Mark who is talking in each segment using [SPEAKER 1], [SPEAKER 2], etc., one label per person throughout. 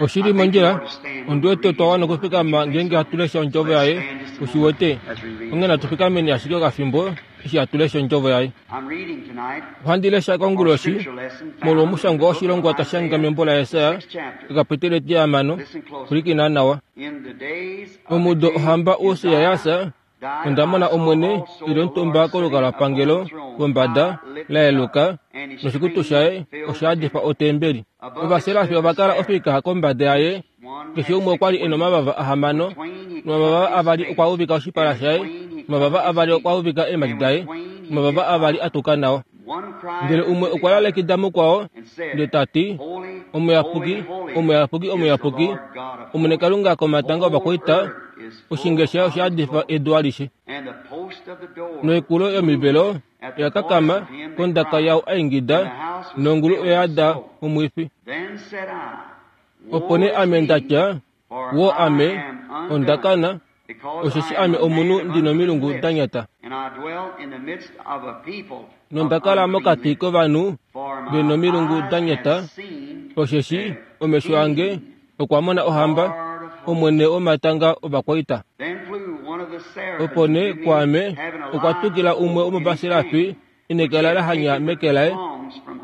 [SPEAKER 1] Oshi li mondjila, ondi wete otwa wana okufikama ngeenge hatu lesha ondjovo yaye, u shi wete. Onghee natu fikameni ashike okafimbo eshi hatu lesha ondjovo yaye. Ohandi lesha konguloshi molwomushangwa woshilongwa ta shanga membo laJesaja, ekapiteli etihamano. Pwilikina nawa. Momudo ohamba Ussia yaAsa, Onda mona Omwene e li omutumba kolukalwapangelo pombada la yeluka, noshikutu shaye osha yadifa otembeli. Ovaserafi ova kala ofika kombada yaye, keshe umwe okwa li e nomavava ahamano, nomavava avali okwa uvika oshipala shaye, nomavava avali okwa uvika eemhadi daye, nomavava avali a tuka nao. Ndele umwe okwa lalekida mukwao ndele ta ti, Omuyapuki, omuyapuki, omuyapuki, Omwene Kalunga komatanga ovakwaita, oshinge shaye osha yadifa edu alishe. Noikulo yomivelo oya kakama kondaka yao a ingida, nongulu oya yada omwifi. Opo nee ame nda tya, Woo ame, onda kana, osheshi ame omunhu ndi nomilungu da nyata, nonda kala mokati kovanhu ve nomilungu da nyata, osheshi omesho ange okwa mona ohamba, Omwene womatanga ovakwaita. Opo nee kwaame okwa tukila umwe womovaserafi e nekela la hanya meke laye,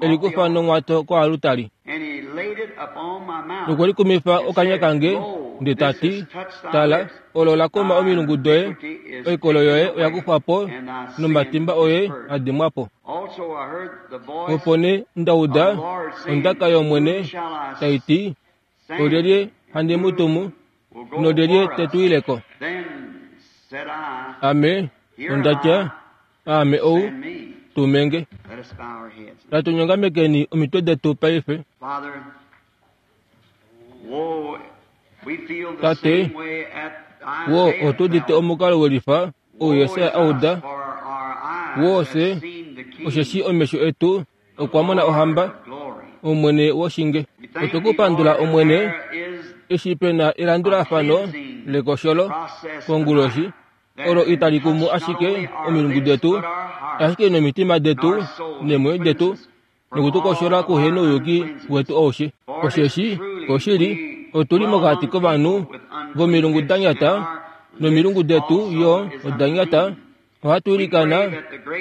[SPEAKER 1] e li kufa nonghwato koalutari. Nokwe likumifa okanya kange, nde ta ti, Tala, olo la koma omilungu doye, oikolo yoye oya kufwa po, nomatimba oye a dimwa po. Opo nee nda uda ondaka yOmwene tai ti, Olyelye handi mu tumu, nolyelye te tu ile ko? Ame onda tya, Aame ou, tume nge. Natu nyongamekeni omitwe detu paife. Tate, woo otu udite omukalo welifa ou Jesaja a uda, woo fye, osheshi omesho etu okwa mona ohamba, Omwene woshinge. Otwe ku pandula, Omwene, eshi pe na elandulafano lekosholo konguloshi, olo itali kumu ashike omilungu detu, ashike nomitima detu neemwenyo detu, noku tu koshola kuhenouyuki wetu aushe. Osheshi, oshili, otu li mokati kovanhu vomilungu da nyata, nomilungu detu yo oda nyata, ohatu ilikana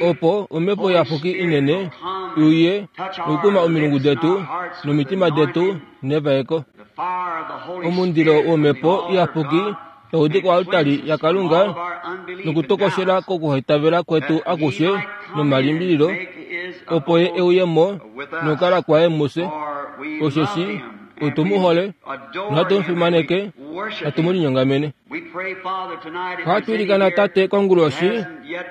[SPEAKER 1] opo omhepo iyapuki inene i uye nokukuma omilungu detu nomitima detu nevaeko. Omundilo womhepo iyapuki tau di koaltari yaKalunga nokutokoshela kokuhaitavela kwetu akushe nomalimbililo, opo Ye e uye mo nokukala kwaye mufye, osheshi otu mu hole nohatu mu fimaneke, hatu mu linyongamene. Ohatu ilikana Tate konguloshi,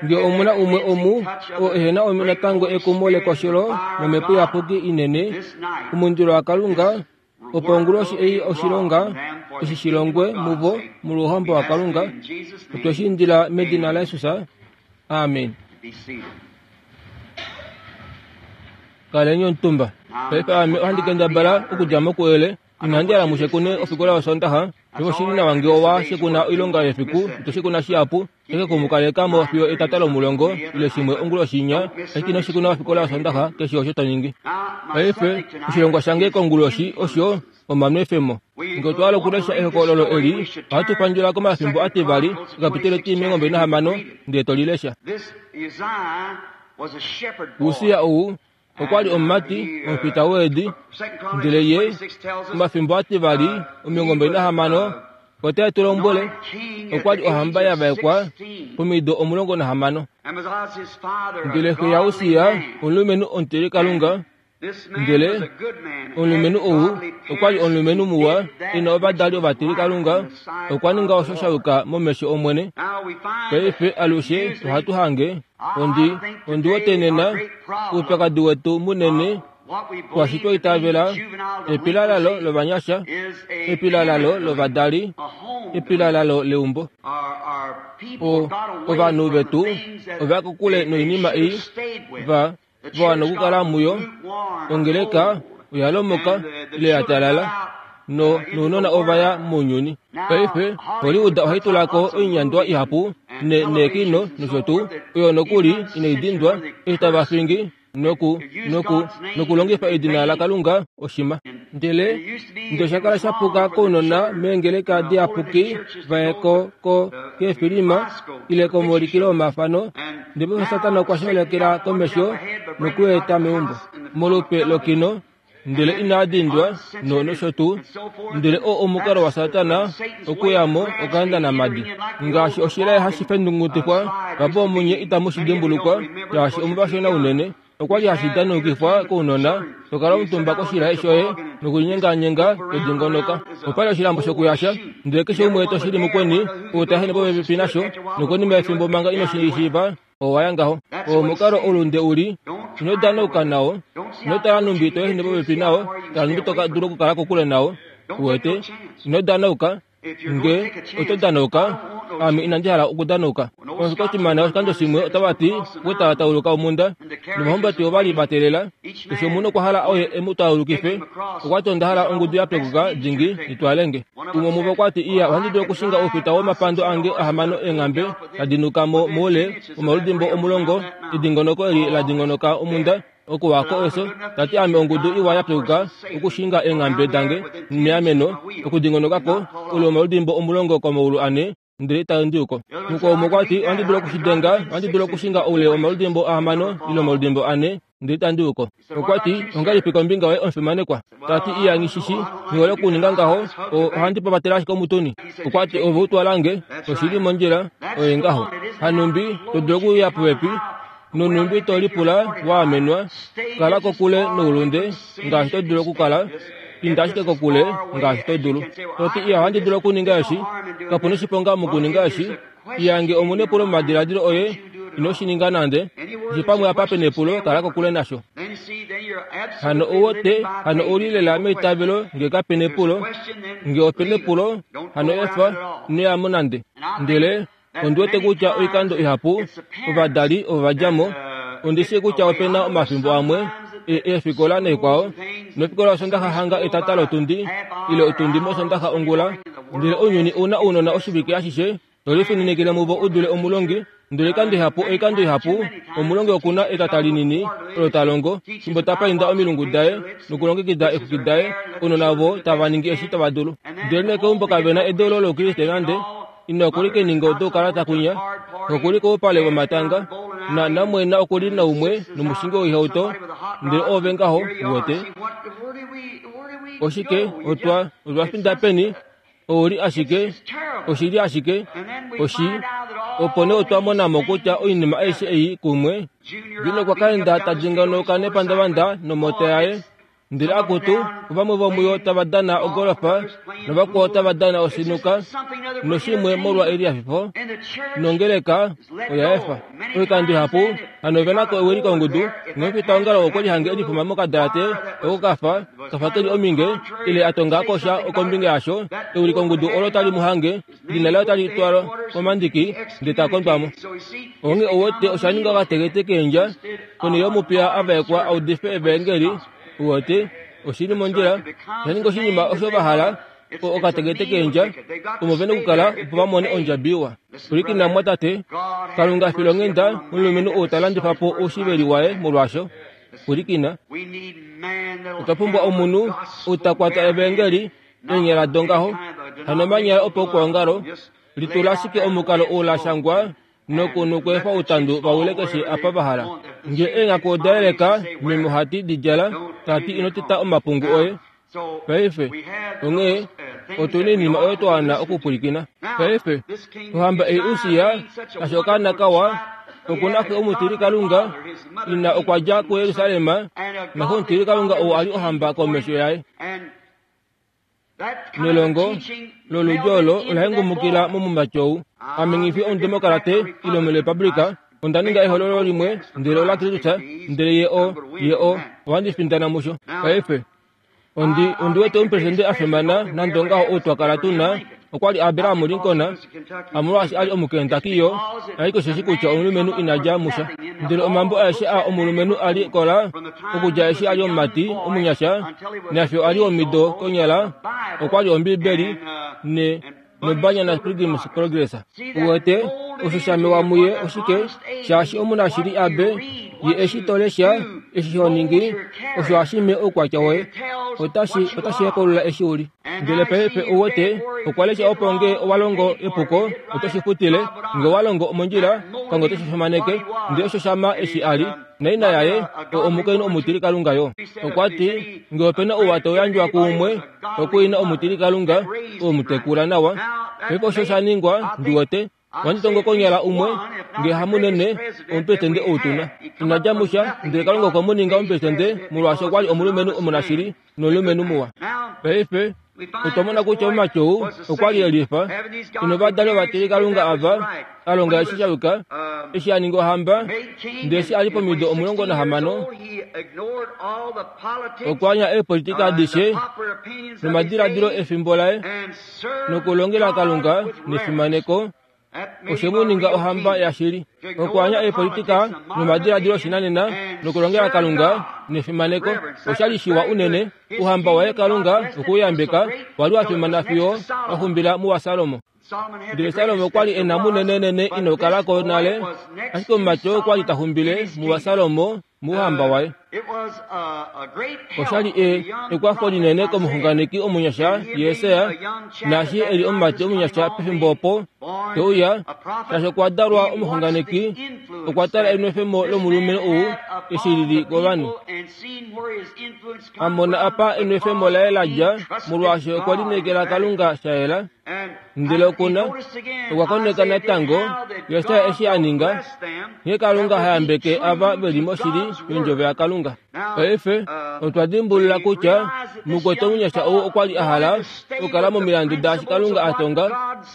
[SPEAKER 1] nge omu na umwe omu oo ehe na natango ekumo lekosholo nomhepo iyapuki inene, omundilo waKalunga, opo onguloshi ei oshilonga eshi shi longwe muvo molwouhamba waKalunga. Otwe shi indila medina laJesus. Amen. Kaleni omutumba. Paife ame ohandi kendabala okudja mokuyele. Inandi hala mu shekune ofikola yOsoondaxa. Osho oshi li nawa ngee owa shekuna oilonga yefiku, ito shekuna shihapu, ashike ku mu kaleka mo fiyo etata lomulongo ile shimwe onguloshi inya, ashike ino shekuna ofikola yOsoondaxa keshe osho to ningi. Paife, oshilongwa shange konguloshi osho omanwefemo. Ngee otwa hala okulesha ehokololo eli, ohatu pandjula komafimbo ativali, ekapiteli etimilongo nahamano, ndele to li lesha. Ussia ou okwa li omumati omufita weedi, ndele ye omafimbo ativali 26 otae tu lombwele okwa li ohamba ya vaekwa pomido 16. Ndele xe yaUssia omulumenhu omutilikalunga, ndele omulumenhu ou okwa li omulumenhu muwa e na ovadali ovatilikalunga, okwa ninga osho sha yuka momesho Omwene. Paife alushe ohatu hange Ondi, ondi wete nena oupyakadi wetu munene kwashi twa itavela epilalalo lovanyasha, epilalalo lovadali, epilalalo leumbo. O, ovanhu vetu ova ya kokule noinima ei va, va wana okukala muyo. Ongeleka oya lomoka ile ya talala, no, nounona ova ya mounyuni. Paife, Hollywood ohai tula ko oinyandwa ihapu ne, neekino nosho tuu, oyo nokuli inai dindwa, eshi tava fingi. Noku, noku, nokulongifa edina laKalunga oshima. Ndele, ndele osha kala sha puka kounona meengeleka diyapuki va ye ko, ko, keefilima ile komaulikilo omafano, ndele paife Satana okwa sholekela komesho nokueta meumbo molupe lokino ndele inaa dindwa no nosho tuu. Ndele oo omukalo waSatana okuya mo okaenda namadi. Ngaashi oshilaye hashi fendungutifwa, vapo omunye itamu shi dimbulukwa, shaashi omuvashona unene. Okwa li hashi danukifwa kounona, to kala omutumba koshilaye shoye nokulinyenganyenga to dingonoka. Opa li oshilambo shokuyasha, ndele keshe umwe to shili mukweni ou ta ehene popepi nasho, nokonima yefimbo manga ino shi shiiva, owa ya ngaho. Oo omukalo oulunde u li. Ino danauka nao. Ino tala nhumbi to ehene popepi nao, tala nhumbi to dulu okukala kokule nao. Uwete? Ino danauka. Nge oto danauka, ame inandi hala okudanauka. Oshikotimana oshikando shimwe otava ti okutala tauluka omunda, novahumbati ova li va teelela. Keshe omunhu okwa hala oye e mu taulukife. Okwa ti onda hala ongudu ya pekuka dingi i twale nge. Umwe womuvo okwa ti, Iya, ohandi dulu okushinga oufita womapando ange ahamano eenghambe tadi nuka mo moule womaludimbo omulongo, edingonoko eli la dingonoka omunda, okuwa ko eso. Ta ti ame ongudu iwa ya pekuka okushinga eenghambe dange meameno, okudingonoka ko oule womaludimbo omulongo komaulu ane, ndele ita ndi uko. Mukwao umwe okwa ti, Ohandi dulu oku shi denga, ohandi dulu okushinga oule womaludimbo ahamano ile omaludimbo ane, ndele ita ndi uko. Okwa ti, Ongahelipi kombinga yoye omufimanekwa? Ta ti, Iya, nghi shi shi, nghi hole okuninga ngaho, ohandi papatele ashike omutuni. Okwa ti, Ove u twala nge, oshi li mondjila, oye ngaho. Hanumbi to dulu okuuya popepi, nonhumbi to lipula wa amenwa, kala kokule noulunde ngaashi to dulu okukala, inda ashike kokule ngaashi to dulu. To ti, Iya, ohandi dulu okuninga eshi, kapu noshiponga mokuninga eshi. Iya, nge omu nepulo momadiladilo oye, ino shi ninga nande. Keshe pamwe apa pe nepulo, kala kokule nasho. Hano ou wete, hano ou li lela meitavelo nge kape nepulo. Nge ope nepulo, hano efa, ino ya mo nande. Ndele Ondi wete kutya oikando ihapu ovadali ovo va dja mo, ondi shii kutya ope na omafimbo amwe e, eefikola naikwao, nofikola yOsondaxa hanga etata lotundi ile otundi mOsondaxa ongula, ndele ounyuni ou na ounona oshivike ashishe, to lifininikile muvo u dule omulongi. Ndele oikando ihapu, oikando ihapu, omulongi oku na etata linini olo ta longo, fimbo ta painda omilungu daye nokulongekida eexwiki daye, ounona ovo tava ningi eshi tava dulu. Ndele nekeumbo kave na edeulo lOukriste nande. Ina okuli keninga odoukalata kwinya, okuli koupale vomatanga, na namwena okuli naumwe nomushingi woihauto, ndele oove ngaho, uwete. Oshike, otwa, otwa finda peni? Ou li ashike, oshi li ashike, oshi. Opo nee otwa mona mo kutya oinima aishe ei kumwe, Junior okwa ka enda ta dingonoka nepandavanda nomota yaye, Ndele akutu, vamwe vomuyo tava dana ogolofa, navakwao tava dana osinuka, noshimwe molwa elihafifo, nongeleka oya efa. Oikando ihapu, hano ove na ko ewilikongudu, nomufitaongalo okwe lihange e lifuma mokadalate oko ka fa, ka fa ke li ominge, ile a tonga ko sha kombinga yasho, ewilikongudu olo tali mu hange, edina laye otali twalwa komandiki, ndele ta kondwa mo. Onghee ou wete osha ninga okatekete keendja, konhele yomupiya a vaekwa a udife evaengeli, ou wete, oshi li mondjila, osha ninga oshinima osho va hala, okatekete keendja, omo ve na okukala opo va mone ondjabi iwa. Pwilikina mumwatate, Kalunga fila onghenda omulumenhu ou ta landifa po oushiveli waye molwaasho. Pwilikina. Otwa pumbwa omunhu ou ta kwata evaengeli eenyala dongaho, hano omanyala opaukwaongalo, litula ashike omukalo ou la shangwa noku nokweefa outandu va wile keshe apa va hala. Nge eenghaku oda yeleka, meme ohati di djala, ta ti ino teta omapungu oye. Paife, onghee, otu na oinima oyo twa wana okupwilikina. Paife, ohamba ei Ussia, kashi okaana kawa, oku na xe omutilikalunga, ina okwa dja kuJerusalem, naxe omutilikalunga ou a li ohamba komesho yaye. Nelongo loludhi olo ola hengumukila momumati ou. Ame nghi fi omudemokarate ile omurepublika, onda ninga ehololo limwe ndele ola Kristus, ndele ye o, ye o, ohandi findana musho. Paife, ondi, ondi wete omupresidente a fimana nande ongaho ou twa kala tu na, okwa li Abraham Lincoln, hamolwaashi a li Omukentucky yo, ashike osheshi kutya omulumenhu ina dja musha. Ndele omambo aeshe aa omulumenhu a li kola, okudja eshi a li omumati omunyasha nafyo a li omido konyala, okwa li Ombibeli ne, nobanya naPilgrim's Progress. Uwete? Osho sha mewa muye oshike, shaashi omunashili abe, ye eshi to lesha, eshi ho ningi, osho hashi me oukwatya woye. Otashi, otashi hekolola eshi u li. Ndele paife ou wete, okwa lesha opo nge owa longo epuko, oto shi futile, nge owa longo omondjila, Kalunga ote shi fimaneke. Ndele osho shama eshi a li. Naina yaye, o omukainhu omutilikalunga yo. Okwa ti, Nge ope na ouwa tau yandjwa kuumwe, okuina omutilikalunga, ou mu tekula nawa. Paife osho sha ningwa, ndi wete. Ohandi tongo konyala umwe, nge hamunene, omupresidente ou tu na. Ina dja musha, ndele Kalunga okwe mu ninga omupresidente molwaashi okwa li omulumenhu omunashili nomulumenhu muwa. Paife, otwa mona kutya omumati ou okwa li e lifa, ina ovadali ovatilikalunga ava, a longa eshi sha yuka, eshi a ninga ohamba, ndele eshi a li pomido 16, okwa anya eepolitika adishe nomadiladilo efimbo laye, nokulongela Kalunga nefimaneko, oshe mu ninga ohamba yashili. Okwaanya eepolitika nomadiladilo oshinanena nokulongela Kalunga nefimaneko osha li shiwa unene. Ouhamba waye Kalunga okwe u yambeka, wa li wa fimana fiyo wa xumbila muwaSalomo. Ndele Salomo okwa li e na munenenene ino kala ko nale, ashike omumati oo okwa li ta xumbile muwaSalomo mouhamba waye. Osha li e ekwafo linene komuxunganeki omunyasha Jesaja, naashi e li omumati omunyasha pefimbo opo te uya, shaashi okwa dalwa omuxunganeki, okwa tala enwefemo lomulumenhu ou eshi li li kovanhu. A mona apa enwefemo laye la dja, molwaashi okwe lineekela Kalunga sha yela. Ndele oku na, okwa koneka natango Jesaja eshi a ninga, nghee Kalunga ha yambeke ava ve li moshili yOndjovo yaKalunga. Paife, otwa dimbulula kutya mukwetu omunyasha ou okwa li a hala okukala momilandu daashi Kalunga a tonga,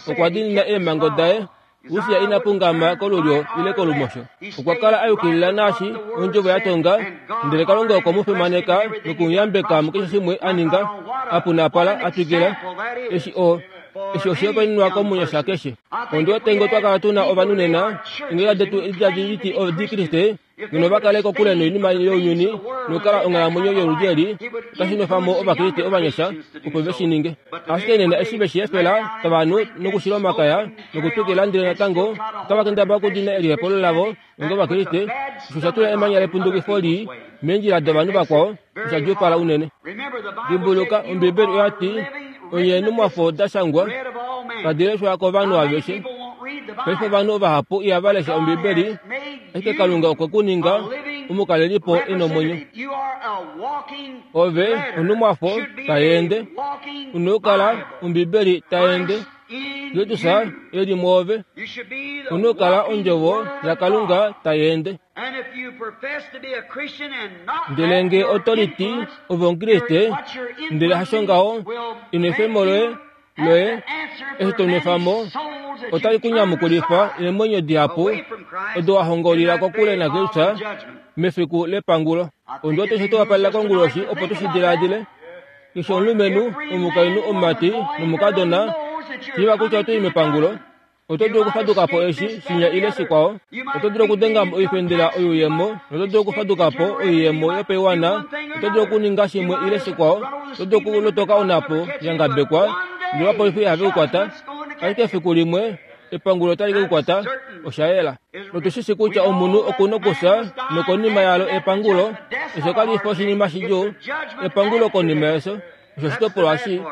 [SPEAKER 1] okwa diinina eemhango daye, Ussia ina pungama kolulyo ile kolumosho. Okwa kala a yukilila naashi ondjovo ya tonga, ndele Kalunga okwe mu fimaneka noku mu yambeka mukeshe shimwe a ninga, a punapala, a twikila. Eshi o, eshi oshihopaenenwa komunyasha keshe. Ondi wete ngee otwa kala tu na ovanhu nena, eengeleka detu edi tadi liti Odikriste, ngeno va kale kokule noinima younyuni nokukala onghalamwenyo yoludi eli, otashi nwefa mo Ovakriste ovanyasha opo ve shi ninge. Ashike nena eshi ve shi efela tava nu nokushila omakaya nokutwikila ndele natango otava kendabala okudina elihepolo lavo onga Ovakriste, osho osha tula emanya lepundukifo lii meendjila dovanhu vakwao osha djuupala unene. Dimbuluka, Ombibeli oya ti, Onye eenhumwafo da shangwa tadi leshwa kovanhu aveshe. Paife ovanhu vahapu ihava lesha Ombibeli, ashike Kalunga okwe ku ninga omukalelipo e nomwenyo. Ove onhumwafo tai ende. U na okukala Ombibeli tai ende. Kristus e li mwoove. U na okukala Ondjovo yaKalunga tai ende. Ndele nge oto liti ove Omukriste, ndele hasho ngaho, enwefemo loye, loye, eshi to nwefa mo, otali ku nyamukulifa eemwenyo dihapu odo wa hongolila kokule naKristus mefiku lepangulo. Ondi wete osho tu wapalela konguloshi opo tu shi diladile. Keshe omulumenhu, omukainhu, omumati nomukadona, shiiva kutya oto i mepangulo. Oto dulu okufaduka po eshi, shinya ile shikwao. Oto dulu okudenga mo oifendela oyuuyemo, noto dulu okufaduka po oiyemo yopaiwana. Oto dulu okuninga shimwe ile shikwao. Oto dulu okulotoka onhapo ya ngabekwa, ndele ovapolifi ihave ku kwata. Ashike efiku limwe, epangulo otali ke ku kwata. Osha yela. Notu shi shi kutya omunhu oku nokufya, nokonima yalo epangulo. Efyo kali fi oshinima shidjuu. Epangulo konima yefyo, osho oshitopolwa shii.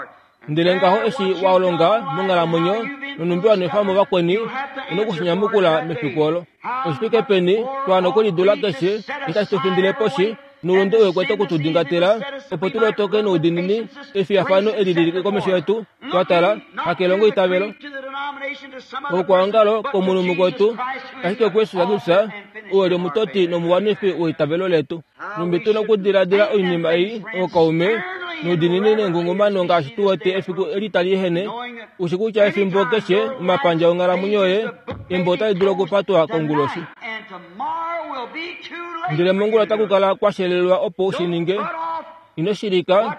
[SPEAKER 1] Ndele ngaho eshi wa longa monghalamwenyo nonhumbi wa nwefa mo vakweni, u na oku shi nyamukula mefiku olo. Oshi fike peni twa wana okulidula keshe eshi tashi tu findile poshi, noulunde u kwete oku tu dingatela, opo tu lotoke noudiinini efiyafano eli li li komesho yetu, twa tala, hakelongoitavelo, koukwaongalo, komunhu mukwetu, ashike kuJesus Kristus, oo e li omutoti nomuwanifi weitavelo letu. Nhumbi tu na okudiladila oinima ei, ookaume, noudiinini nengungumano ngaashi tu wete efiku eli tali ehene, u shi kutya efimbo keshe omapandja onghalamwenyo yoye embo otali dulu okupatwa konguloshi. Ndele mongula otaku kala kwa shelelwa opo u shi ninge. Ino shilika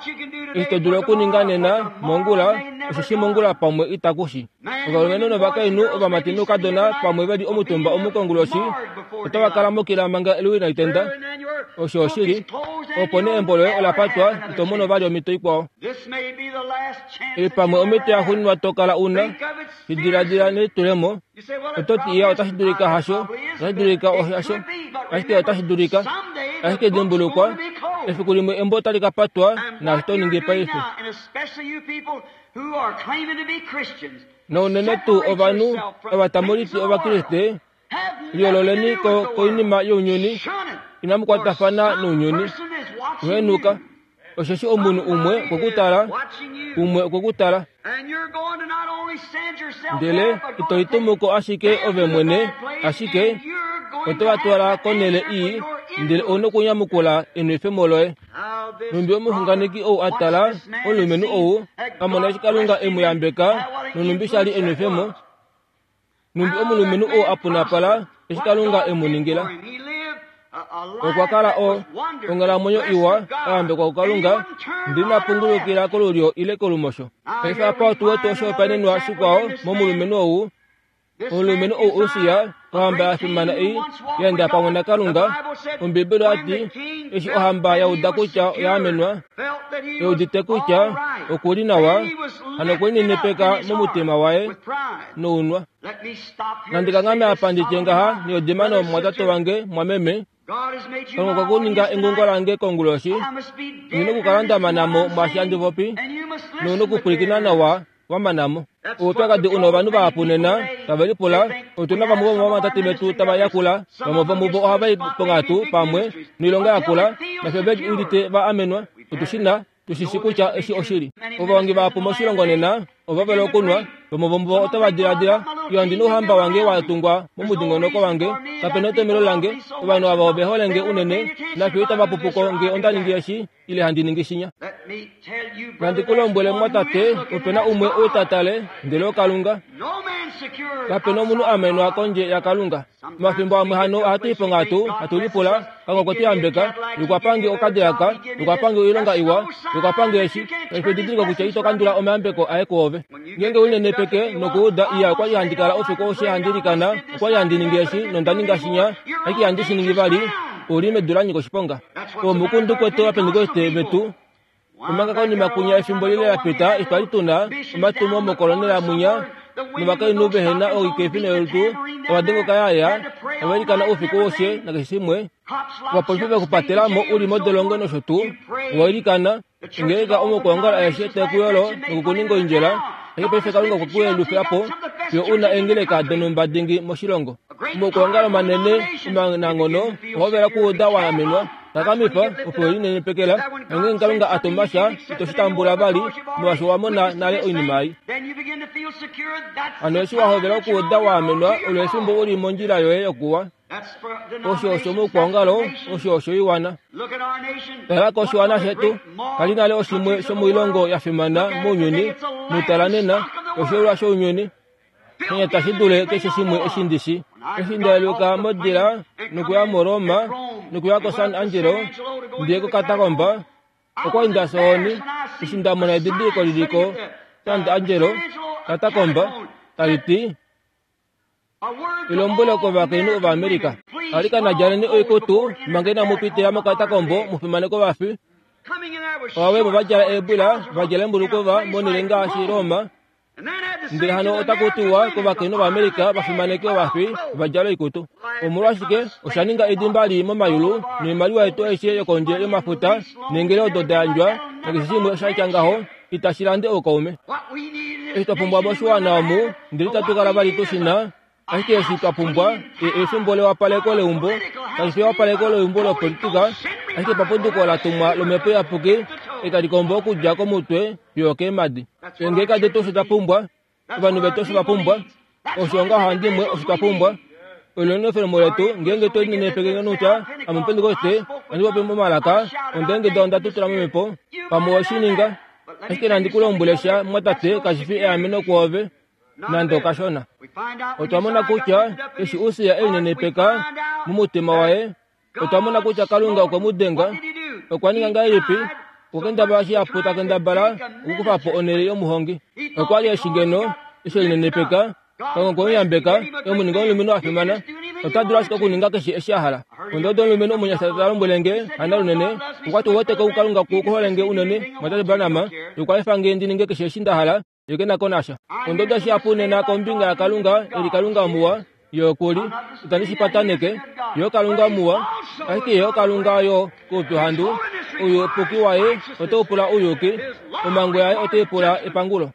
[SPEAKER 1] eshi to dulu okuninga nena, mongula, osheshi mongula pamwe itaku shi. Ovalumenhu novakainhu, ovamati noukadona pamwe ve li omutumba omu konguloshi, otava kala mokila manga eluwi inali tenda. Osho oshili. Opo nee embo loye ola patwa, ito mono vali omhito ikwao. Ei pamwe omhito yaxuuninwa to kala u na. Shi diladila nelitulemo. Oto ti, Iya, otashi dulika hasho, otashi dulika hasho, ashike otashi dulika. Ashike dimbulukwa, efiku limwe embo otali ka patwa, naashi to ningi paife. Naunene tuu ovanhu ava tamu liti Ovakriste, liyoololeni ko koinima younyuni, inamu kwatafana nounyuni. Henuka, osheshi omunhu umwe okwe ku tala, umwe okwe ku tala. Ndele ito litumu ko ashike ove mwene, ashike oto va twala konhele ii, ndele ou nokunyamukula enwefemo loye. Nhumbi omuxunganeki ou a tala omulumenhu ou, a mona eshi Kalunga e mu yambeka, nonhumbi sha li enwefemo, Nhumbi omulumenhu oo a punapala eshi Kalunga e mu ningila. Okwa kala o onghalamwenyo iwa a yambekwa kuKalunga, ndele ina pungulukila kolulyo ile kolumosho. Paife apa otu wete oshihopaenenwa shikwao momulumenhu ou. Omulumenhu ou Ussia, ohamba ya fimana ei ya enda pamwe naKalunga. Ombibeli oya ti, eshi ohamba ya uda kutya oya amenwa, e udite kutya oku li nawa, hano okwe linenepeka momutima waye nounwa. Nandi kanghame apa ndi tye ngaha niyodima nomumwatate wange mwameme, Kalunga okwa kuninga engungo lange konguloshi, ondi nokukala nda mana mo mwaashi handi popi, nou nokupwilikina nawa wa mana mo. Oupyakadi u na ovanhu vahapu nena tave lipula, Otu na vamwe vomovamwatate vetu tava yakula, vamwe vomuvo ohava i ponghatu pamwe noilonga yakula, nafye ve udite va amenwa. Otu shi na, tu shi shi kutya eshi oshili. Ovahongi vahapu moshilongo nena ova vela okunwa, vamwe vomuvo otava diladila, Yo ondi na ouhamba wange wa tungwa momudingonoko wange, kape na etomhelo lange, ovanhu ava ove hole nge unene, nafye itava pupu ko nge onda ningi eshi ile handi ningi shinya. Nandi ku lombwele mwatate, ope na umwe ou ta tale, ndele oKalunga. Kape na omunhu a amenwa kondje yaKalunga. Omafimbo amwe hano ohatu i ponghatu, hatu lipula, Kalunga okwe tu yambeka, ye okwa pa nge okadilaka, ye okwa pa nge oilonga iwa, ye okwa pa nge eshi. Paife didilika kutya ito kandula omayambeko aye kwoove. Ngeenge u linenepeke nokuuda, Iya, okwa li handi kala oufiku aushe handi ilikana, okwa li handi ningi eshi, nonda ninga shinya, ashike ihandi shi ningi vali, ou li medu la nyika oshiponga. Omukundu kwetu Ovapentekoste vetu, omanga konima kunya efimbo lile la pita eshi twali tu na omatumo mokolonela mwinya novakainhu vehe na oikefi noyolutu ova dengoka yaya ova ilikana oufiku aushe nakeshe shimwe ovapolifi ve ku patela mo u li modolongo nosho tuu owa ilikana ongeleka omokuongala aeshe tae ku yolo nokukuninga oindjela ashike paife Kalunga okwe ku yelufila po fiyo u na eengeleka donhumba dingi moshilongo. Omokuongalo manene omananghono ohovela okuuda wa amenwa takamifa opo we linenepekela nongeenge Kalunga a tuma sha ito shi tambula vali molwaashi owa mona nale oinima ei. Hano eshi wa hovela okuuda wa amenwa olo efimbo u li mondjila yoye yokuwa. Osho osho moukwaongalo, osho oshoiwana. Tala koshiwana shetu, kali nale oshimwe shomoilongo ya fimana mounyuni, mutala nena, oshoilwa shounyuni. Shenya tashi dule keshe shimwe eshi ndi shi. Eshi nda yeluka modila nokuya moRoma nokuya koSan Angelo, ndi ye kokatakomba, okwa li nda sooni eshi nda mona edidiliko li li ko Sant Angelo katakomba, tali ti, Elombwelo kovakainhu Ovaamerica, Alikana djaleni oikutu manga inamu pitila mokatakombo mu fimaneke ovafi. Ovavaekwa va djala eebwila, va djala eembulukova monhele ngaashi Roma. Ndele hano otaku tiwa kovakainhu Ovaamerica va fimaneke ovafi va djala oikutu. Omolwashike osha ninga edimba lii momayulu noimaliwa yetu aishe yokondje yomafuta neengele odo da yandjwa nakeshe shimwe sha tya ngaho itashi lande oukaume. Eshi twa pumbwa moshiwana omu, ndele itatu kala vali tu shi na, ashike eshi twa pumbwa e, efimbo lewapaleko leumbo, kashi fi ewapaleko leumbo lopolitika, ashike papunduko la tumwa lOmhepo Iyapuki, e tali kombo okudja komutwe fiyo okeemhadi. Eengeleka detu osho da pumbwa, ovanhu vetu osho va pumbwa, osho ngaho handimwe osho twa pumbwa. Olo enwefemo letu ngeenge twe linenepeke nokutya ame Omupentekoste, ohandi popi momalaka, ondeengeda onda tutula momhepo, pamwe owe shi ninga. Ashike nandi ku lombwele sha, mumwatate, kashi fi eameno kwoove nande okashona. Otwa mona kutya eshi Ussia e linenepeka momutima waye, Otwa mona kutya Kalunga okwe mu denga. Okwa ninga ngahelipi? Okwa kendabala shihapu ta kendabala okukufa po onhele yomuhongi. Okwa li eshi ngeno eshi e linenepeka, Kalunga okwe mu yambeka, e mu ninga omulumenhu a fimana. Ota dulu ashike okuninga keshe eshi a hala. Onda uda omulumenhu omunyasha ta lombwele nge, Hana lunene, okwa ti, Ou wete ko Kalunga ku hole nge unene, Mwatate Branham, nokwa efa nge ndi ninge keshe eshi nda hala. Ye ke na ko nasha. Onda uda shihapu nena kombinga yaKalunga e li Kalunga muwa, Ye oku li, itandi shi pataneke, Ye oKalunga muwa, ashike Ye oKalunga yo koupyuhandu, ouyupuki waye otau pula ouyuki, omhango yaye otai pula epangulo.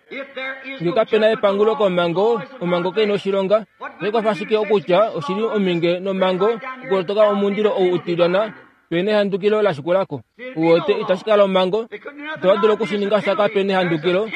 [SPEAKER 1] Nge kape na epangulo komhango, omhango kai na oshilonga. Otai kwafa ashike okutya oshi li omhinge nomhango okulotoka omundilo ou utilyana pe nehandukilo la shikula ko. Uwete, itashi kala omhango. Itava dulu oku shi ninga sha kape nehandukilo.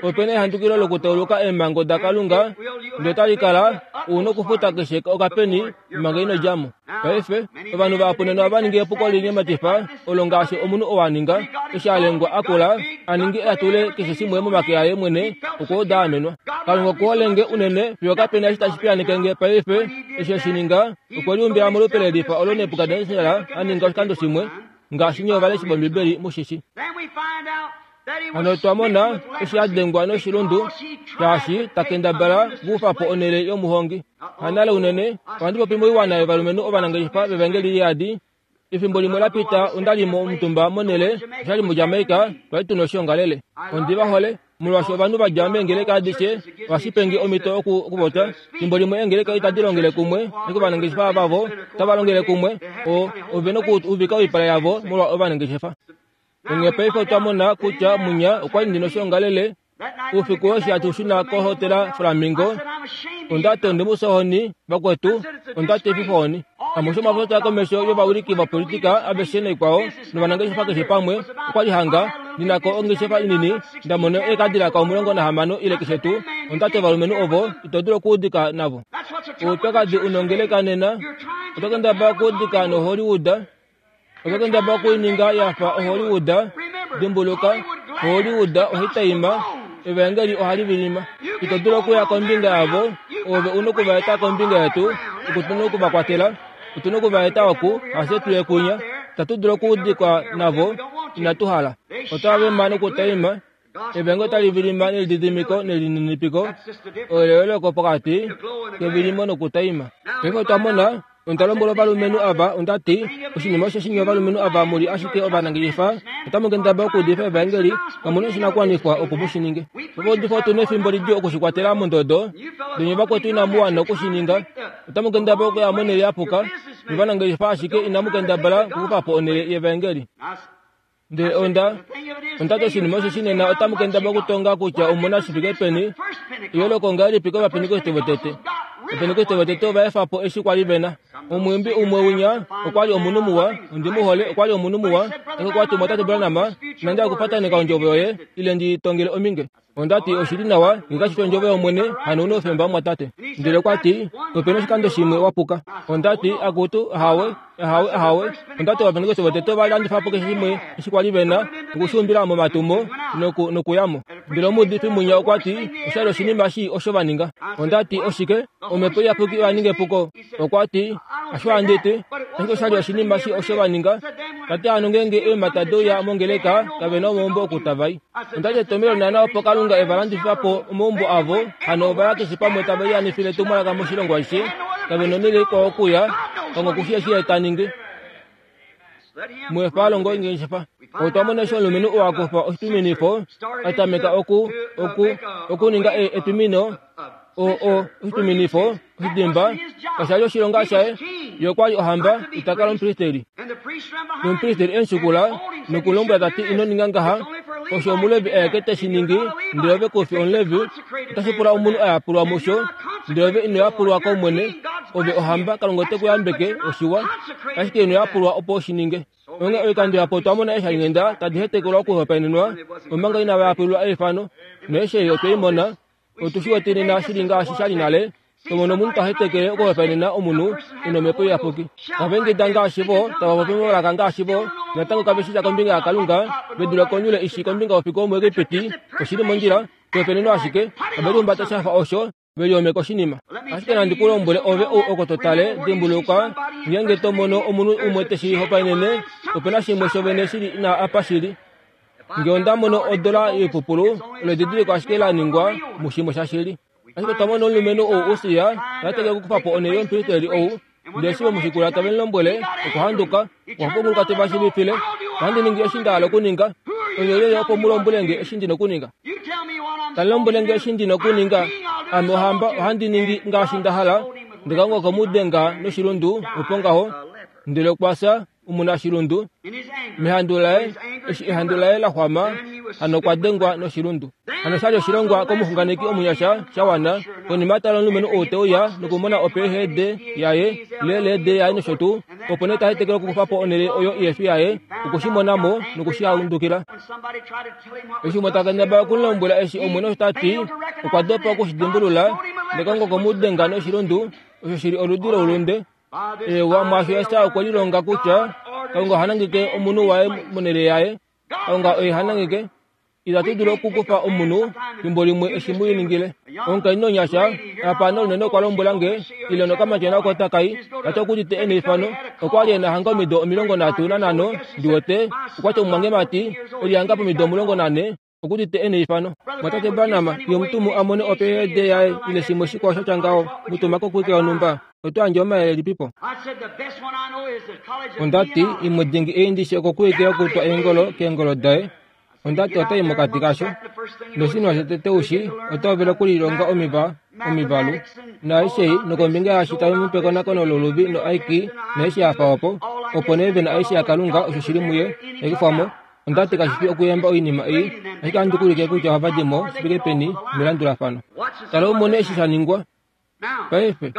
[SPEAKER 1] Ope na ehandukilo lokutauluka eemhango daKalunga, ndele otali kala u nokufuta keshe okapeni manga ino dja mo. Paife, ovanhu vahapu nena ohava ningi epuko li nyematifa olo ngaashi omunhu oo a ninga eshi a lengwa a kula a ninge a tule keshe shimwe momake aye mwene okwa uda a amenwa. Kalunga oku hole nge unene fiyo kape na eshi tashi piyaaneke nge paife. Eshi e shi ninga, okwe liumbila molupe lelifa olo Nebukadnesar a ninga oshikando shimwe, ngaashi nye ovaleshi vOmbibeli mu shi shi. Hano otwa mona eshi a dengwa noshilundu, shaashi ta kendabala okukufa po onhele yomuhongi. Hanale unene, ohandi popi moiwana yovalumenhu ovanangeshefa vevangeli liyadi. Efimbo limwe la pita onda li omutumba monhele, osha li muJamaica, twa li tu na oshiongalele. Ondi va hole, molwaashi ovanhu va dja meengeleka adishe ohashi penge omhito oku okupopya. Efimbo limwe eengeleka itadi longele kumwe, ashike ovanangeshefa vavo otava longele kumwe. O, ove nokuuvika oipala yavo molwa ovanangeshefa. Onghee paife otwa mona kutya munya okwa li ndi noshiongalele oufiku eshi hatu shuna kohotela Flamingo. Onda ti onde mu sohoni, vakwetu, onda ti efifohoni. Amushe omwa popya komesho yovawiliki vopolitika aveshe naikwao novanangeshefa keshe pamwe, okwa li hanga ndi na ko ongeshefa inini, nda mona eekadilaka 16 ile keshe tuu. Onda ti ovalumenhu ovo ito dulu okuudika navo. Oupyakadi u nongeleka nena, oto kendabala okuudika noHollywood, Oto kendabala okuininga ya fa oHollywood. Dimbuluka, Hollywood ohai taima, Evaengeli ohali vilima. Ito dulu okuya kombinga yavo, ove u noku va eta kombinga yetu, oku tu noku va kwatela. Otu noku va eta oku, hafye tu ye kwinya. Itatu dulu okuudikwa navo, inatu hala. Otava vema nokutaima, Evaengeli otali vilima nelididimiko nelininipiko, oleeleko pokati kevilimo nokutaima. Paife otwa mona Onda lombwela ovalumenhu ava, onda ti, Oshinima osheshi nye ovalumenhu ava mu li ashike ovanangeshefa, otamu kendabala okuudifa evaengeli, kamu na oshinakuwanifwa opo mu shi ninge. Ovaudifi otu na efimbo lidjuu oku shi kwatela mondodo, ndele nye vakwetu inamu wana oku shi ninga. Otamu kendabala okuya monhele ya puka, nye ovanangeshefa ashike inamu kendabala okukufa po onhele yevaengeli. Ndele onda, onda ti oshinima osho shinena otamu kendabala okutonga kutya omu na shi fike peni, eyooloko ongahelipi kOvapentekoste votete. Ovapentekoste votete ova efa po eshi kwa li ve na. Omwiimbi umwe winya okwa li omunhu muwa, ondi mu hole, okwa li omunhu muwa, ashike okwa ti, Mumwatate Branham, inandi hala okupataneka ondjovo yoye, ile ndi tongele ominge. Onda ti, Oshi li nawa, nge kashi fi ondjovo yOmwene, hano u na oufemba, mumwatate. Ndele okwa ti, Ope na oshikando shimwe wa puka. Onda ti, Akutu, ahawe, ahawe, ahawe. Onda ti, Ovapentekoste votete ova landifa po keshe shimwe eshi kwa li ve na, noku shi umbila momatumo, noku, nokuya mo. Ndele omuudifi mwinya okwa ti, Osha li oshinima shii osho va ninga. Onda ti, Oshike? Omhepo Iyapuki oya ninga epuko. Okwa ti, Hasho handi ti, ashike osha li oshinima shii osho va ninga. Ta ti hano ngeenge eemhata de uya mongeleka, kave na omaumbo oku tava i. Onda ti etomhelo naana opo Kalunga e va landifa po omaumbo avo, hano ova ya keshe pamwe tave lianifile etumwalaka moshilongo ashishe, kave na onhele ikwao okuya, Kalunga oku shii eshi ye ta ningi. Mu efa a longe ongeshefa. Otwa mona eshi omulumenhu oo a kufa oshitwiminifo, a tameka oku, oku, okuninga e, etwimino, o, o, oshitwiminifo, oshidimba, kasha li oshilonga shaye. Ye okwa li ohamba, ita kala omupristeli. Nomupristeli e mu shikula noku mu lombwela ta ti, Ino ninga ngaha, osho Omulevi aeke te shi ningi, ndele ove ku fi Omulevi. Otashi pula omunhu a yapulwa musho, ndele ove ino yapulwa kOmwene. Ove ohamba, Kalunga ote ku yambeke, oshiwa, ashike ino yapulwa opo u shi ninge. Onghee oikando yapo otwa mona eeshalinghenda tadi hetekelwa okuhopaenenwa omanga inava yapulilwa eifano, noeshi ei otwe i mona. Otu shi wete nena shi li ngaashi sha li nale, to mono omunhu ta hetekele okuhopaenena omunhu e na omhepo iyapuki. Tava ingida ngaashi vo, tava popi momalaka ngaashi vo, natango kave shii sha kombinga yaKalunga, ve dule konyule i shii kombinga yofiku womuEgipiti, oshi li mondjila, kuhopaenenwa ashike, ove lihumbata sha fa osho, ve lihomeka oshinima. Ashike nandi ku lombwele ove ou oko to tale, dimbuluka, ngeenge to mono omunhu umwe te shi hopaenene, ope na shimwe shovene shi li ina apa shi li. Nge onda mono odola yoipupulu, olo edidiliko ashike la ningwa mushimwe shashili. Ashike otwa mona omulumenhu ou Usia ta teke okukufa po onhele yomupristeli ou, ndele eshi ve mu shikula tave mu lombwele, okwa handuka, okwa punguluka te va shiivifile, Ohandi ningi eshi nda hala okuninga, onye olyelye opo mu lombwele nge eshi ndi na okuninga? Ta lombwele nge eshi ndi na okuninga. Ame ohamba ohandi ningi ngaashi nda hala. Ndele Kalunga okwe mu denga noshilundu opo ngaho, ndele okwa fya omunashilundu. Mehandu laye, eshi ehandu laye la xwama, hano okwa dengwa noshilundu. Hano sha li oshilongwa komuxunganeki omunyasha sha wana. Konima tala omulumenhu ou te uya nokumona oPhD yaye, LLD yaye nosho tuu, opo nee ta hetekele okukufa po onhele oyo ihe fi yaye, oku shi mona mo noku shi handukila. Eshi umwe ta kendabala oku mu lombwela eshi Omwene osho ta ti, okwa dopa oku shi dimbulula, nekongo okwe mu denga noshilundu, osho shi li oludi loulunde. Eewa, mwaasho Esau okwe lilonga kutya Kalunga oha nangeke omunhu waye monhele yaye. Kalunga oye ha nangeke. Itatu dulu okukufa omunhu fimbo limwe eshi mu ningile. Omukainhu onyasha apa naunene okwa lombwela nge, ile nokamatyona oko taka i, ta ti okudite e neifano. Okwa li e na hanga omido 35, ndi wete. Okwa ti omumwangemati, e li hanga pomido 14, okudite e neifano. Mwatate Branham, fiyo omutumu a mone oPhD yaye ile shimwe shikwao sha tya ngaho, mu tuma kokuwike yonhumba. Oto yandje omayele elipipo? Onda ti, Imwe dingi ei ndi shi okokuwike yokutwa eengolo keengolo daye. Onda ti otai mokati kasho. Noshinima shotete u shi, ota hovele okulilonga omiva, omivalu, naaishe ei, nokombinga yaashi tave mu pe ekonakono loluvi no-IQ, naaishe ya fa opo. Opo nee ve na aishe yaKalunga, osho shi li muye, tai kufwa mo. Onda ti kashi fi okuyemba oinima ei, ashike ohandi ku ulike kutya ohava di mo shi fike peni melandulafano. Tala u mone eshi sha ningwa. Paife,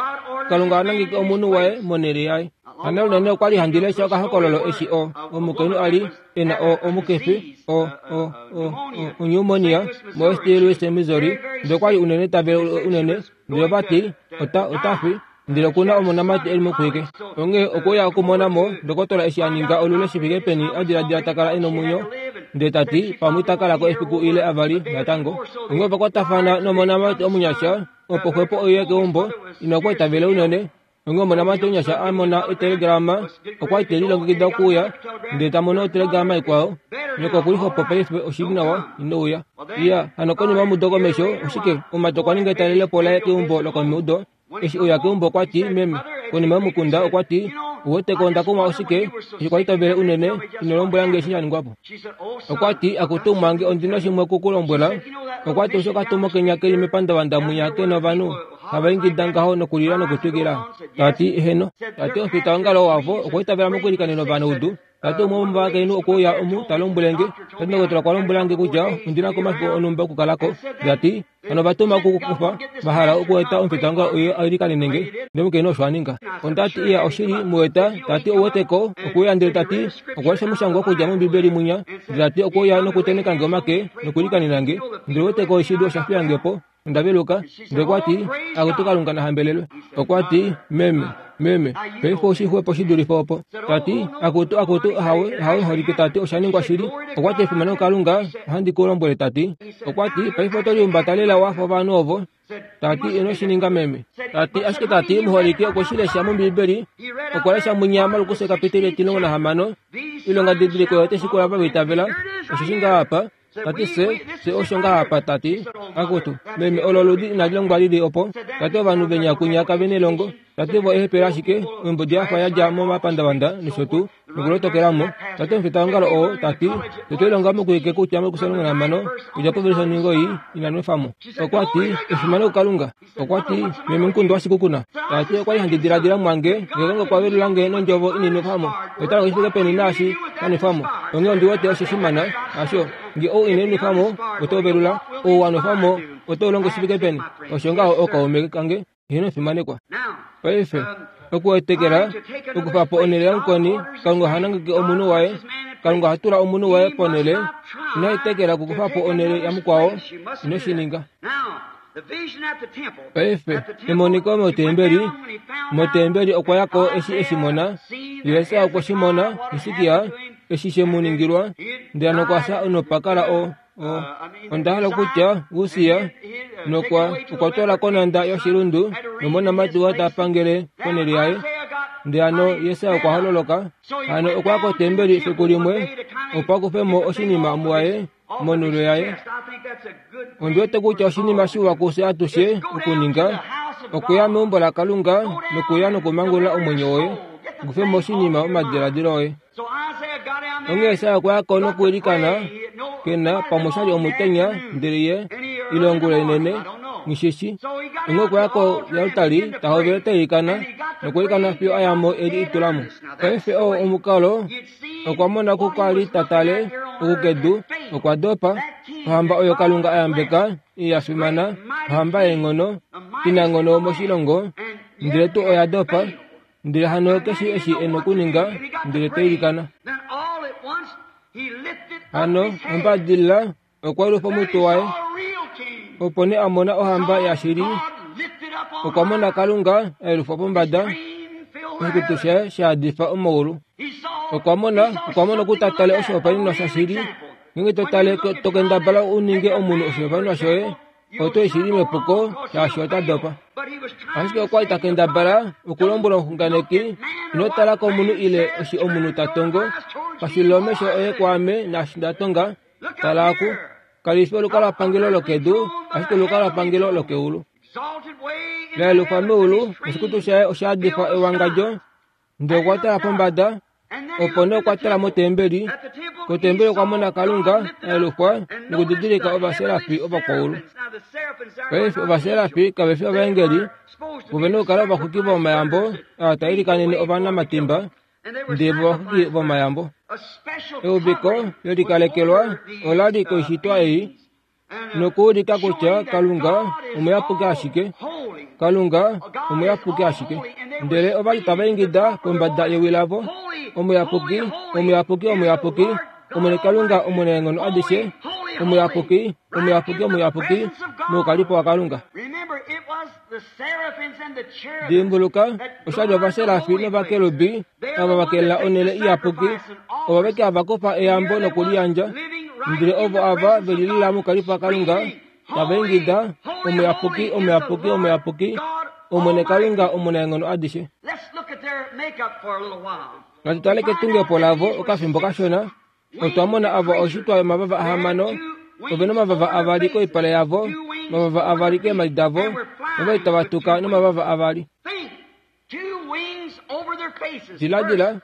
[SPEAKER 1] Kalunga a nangeke omunhu waye monhele yaye. Hano unene okwa li handi lesha okahokololo eshi o, omukainhu a li e na o, omukifi, o, o, o, o, onyumonia moSt. Louis, Missouri, ndele okwa li unene ta vele unene, ndele ova ti, Ota, ota fi. Ndele oku na omonamati e li mokwike. Onghee okwe uya okumona mo ndokotola eshi a ninga olule shi fike peni a diladila ta kala e nomwenyo, ndele ta ti, Pamwe ita kala ko efiku ile avali natango. Onghee ova kwatafana nomonamati omunyasha, opo xwepo oye keumbo, ina okwa itavele unene. Onghee omonamati omunyasha a mona etelegrama, okwa li te lilongekida okuuya, ndele ta mono otelegrama ikwao, Nyoko oku li xwepo paife, oshi li nawa, ino uya. Iya, hano konima yomudo komesho, oshike, omumati okwa ninga etalelepo laye keumbo lokomudo. Eshi uya keumbo okwa ti, Meme, konima yomukunda okwa ti, Uweteko onda kumwa oshike, eshi kwa li to vele unene, ino lombwela nge eshi sha ningwa po. Okwa ti, Akutu mwange, ondi na shimwe oku ku lombwela. Okwa ti, Osho okatumo kenya ke li mepandavanda mwinya ke novanhu hava ingida ngaho nokulila nokutwikila. Ta ti, Eheno. Ta ti, Omufitaongalo wavo okwa itavela mokuilikanena ovanaudu. Ta ti umwe womovakainhu okwe uya omu ta lombwele nge, ta ti ndokotola okwa lombwela nge kutya ondi na ko omafiku onhumba okukala ko. Ta ti, Hano ova tuma oku ku kufa, va hala okueta omufitaongalo uye a ilikanene nge. Ndele omukainhu osho a ninga. Onda ti, Iya, oshili, mu eta. Ta ti, Ou wete ko? Okwe uya ndele ta ti, Okwa lesha omushangwa okudja mOmbibeli mwinya. Ndele ta ti, Okwe uya nokutenheka nge omake, nokuilikanena nge. Ndele ou wete ko, oshili osha fiya nge po. Onda veluka. Ndele okwa ti, Akutu Kalunga na hambelelwe. Okwa ti, Meme, meme, paife oshi xwepo shi dulife opo. Ta ti, Akutu, akutu, ahawe, ahawe holike, ta ti, osha ningwa shili. Okwa ti, Efimano kuKalunga, ohandi ku lombwele, ta ti. Okwa ti, Paife oto lihumbata lela wa fa ovanhu ovo. Ta ti, Ino shi ninga, meme. Ta ti, Ashike ta ti, muholike okwe shi lesha mOmbiibeli. Okwa lesha mwinya Markus ekapiteli etimulongo nahamano, Oilongadidiliko oyo otai shikula ava va itavela. Osheshi ngaha apa. Ta ti, Fye, fye osho ngaha apa, ta ti. Akutu, meme, olo oludi inali longwa li li opo. Ta ti, Ovanhu venya kwinya kave nelongo. Ta ti, Vo eehepele ashike, oimbodi ya fa ya dja momapandavanda nosho tuu, nokulotokela mo. Ta ti, Omufitaongalo oo, ta ti, fye twe lilonga mokuhike kutya mokusalonga okudja povelisha oningo ei ina nwefa mo. Okwa ti, Efimano kuKalunga! Okwa ti, Meme Nkundu waShikukuna, ta ti okwa li handi diladila mwange nge Kalunga okwa velula nge nondjovo inini nwefa mo. Oita longo shi fike peni naashi sha nwefa mo. Onghee ondi wete osho shimana, hasho? Nge ou ine nwefa mo, oto velula. Ou wa nwefa mo, oto longo shi fike peni? Osho ngaho ookaume kange. Heeno fimanekwa. Paife, okuetekela, okufa po onhele yamukweni, Kalunga oha nangeke omunhu waye. Kalunga oha tula omunhu waye ponhele. Ino etekela okukufa po onhele yamukwao. Ino shi ninga. Paife, emoniko motembeli, motembeli okwa ya ko eshi e shi mona. Jesus okwe shi mona, Hisikia, eshi she mu ningilwa, ndele nokwa fya nopa kala o, o, onda hala okutya, Ussia, nokwa, okwa twala konhanda yoshilundu, nomonamati waye ta pangele ponhele yaye. Ndele hano Jesus okwa hololoka, hano okwa ya kotembeli efiku limwe, opo a kufe mo oshinima muwaye, monhulo yaye. Ondi wete kutya oshinima shiwa kufye atushe okuninga okuya meumbo laKalunga nokuya nokumangulula omwenyo woye, u kufe mo oshinima momadiladilo oye. Onghee Isaya okwa ya ko nokuilikana, ke na pamwe osha li omutenya, ndele ye Ile ongula inene, nghishishi. Onghee okwa ya koaltari, ta hovele ta ilikana, nokwiilikana fiyo a ya mo e li itula mo. Paife oo omukalo, okwa mona ku kwa li ta tale, oku kedu, okwa dopa. Ohamba oyo Kalunga a yambeka, ya fimana, ohamba yeenghono, inanghono moshilongo, ndele tuu oya dopa. Ndele hano keshe eshi e nokuninga, ndele ta ilikana. Hano, ombadilila, okwa lufa omutwe waye. Opo nee a mona ohamba yashili. Okwa mona Kalunga a yelufwa pombada, oshikutu shaye sha yadifa omaulu. Okwa mona, okwa mona okuta tale oshihopaenenwa shashili. Ngeenge to tale, to kendabala u ninge omunhu oshihopaenenwa shoye, oto i shili mepuko, shaashi ota dopa. Ashike okwa li ta kendabala okulombwela omuxunganeki, Ino tala komunhu ile eshi omunhu ta tongo, pashulila omesho oye kwaame naashi nda tonga, Tala oku, kali fi olukalwapangelo lokedu, ashike olukalwapangelo lokeulu. La yelufwa meulu, oshikutu shaye osha yadifwa ewangadjo, ndele okwa tala pombada, opo nee okwa tala motembeli. Kotembeli okwa mona Kalunga a yelufwa nokudidilika ovaserafi ovakwaulu. Paife ovaserafi kave fi ovaengeli, vo ve na okukala ovaxwiki vomayambo ava taa ilikanene ovanamatimba, ndele vo ovaxwiki vomayambo. Euviko le likalekelwa ola li koishitwa ei nokuulika kutya Kalunga omuyapuki ashike. Kalunga omuyapuki ashike. Ndele ova li tava ingida pombada yewi lavo, Omuyapuki, omuyapuki, omuyapuki, Omwene Kalunga omunaenghono adishe, omuyapuki, omuyapuki, omuyapuki, moukalipo waKalunga. Dimbuluka, osha li ovaserafi novakerubi ava va kelela onhele iyapuki, ovo aveke hava kufa eyambo nokuliyandja. Ndele ovo ava ve lilila moukalipo waKalunga, tava ingida, Omuyapuki, omuyapuki, omuyapuki, Omwene Kalunga omunaenghono adishe. Natu tale ketungepo lavo okafimbo kashona. Otwa mona ava oshitwa yomavava ahamano, ove nomavava avali koipala yavo, omavava avali keemhadi davo, novali tava tuka nomavava avali. Diladila,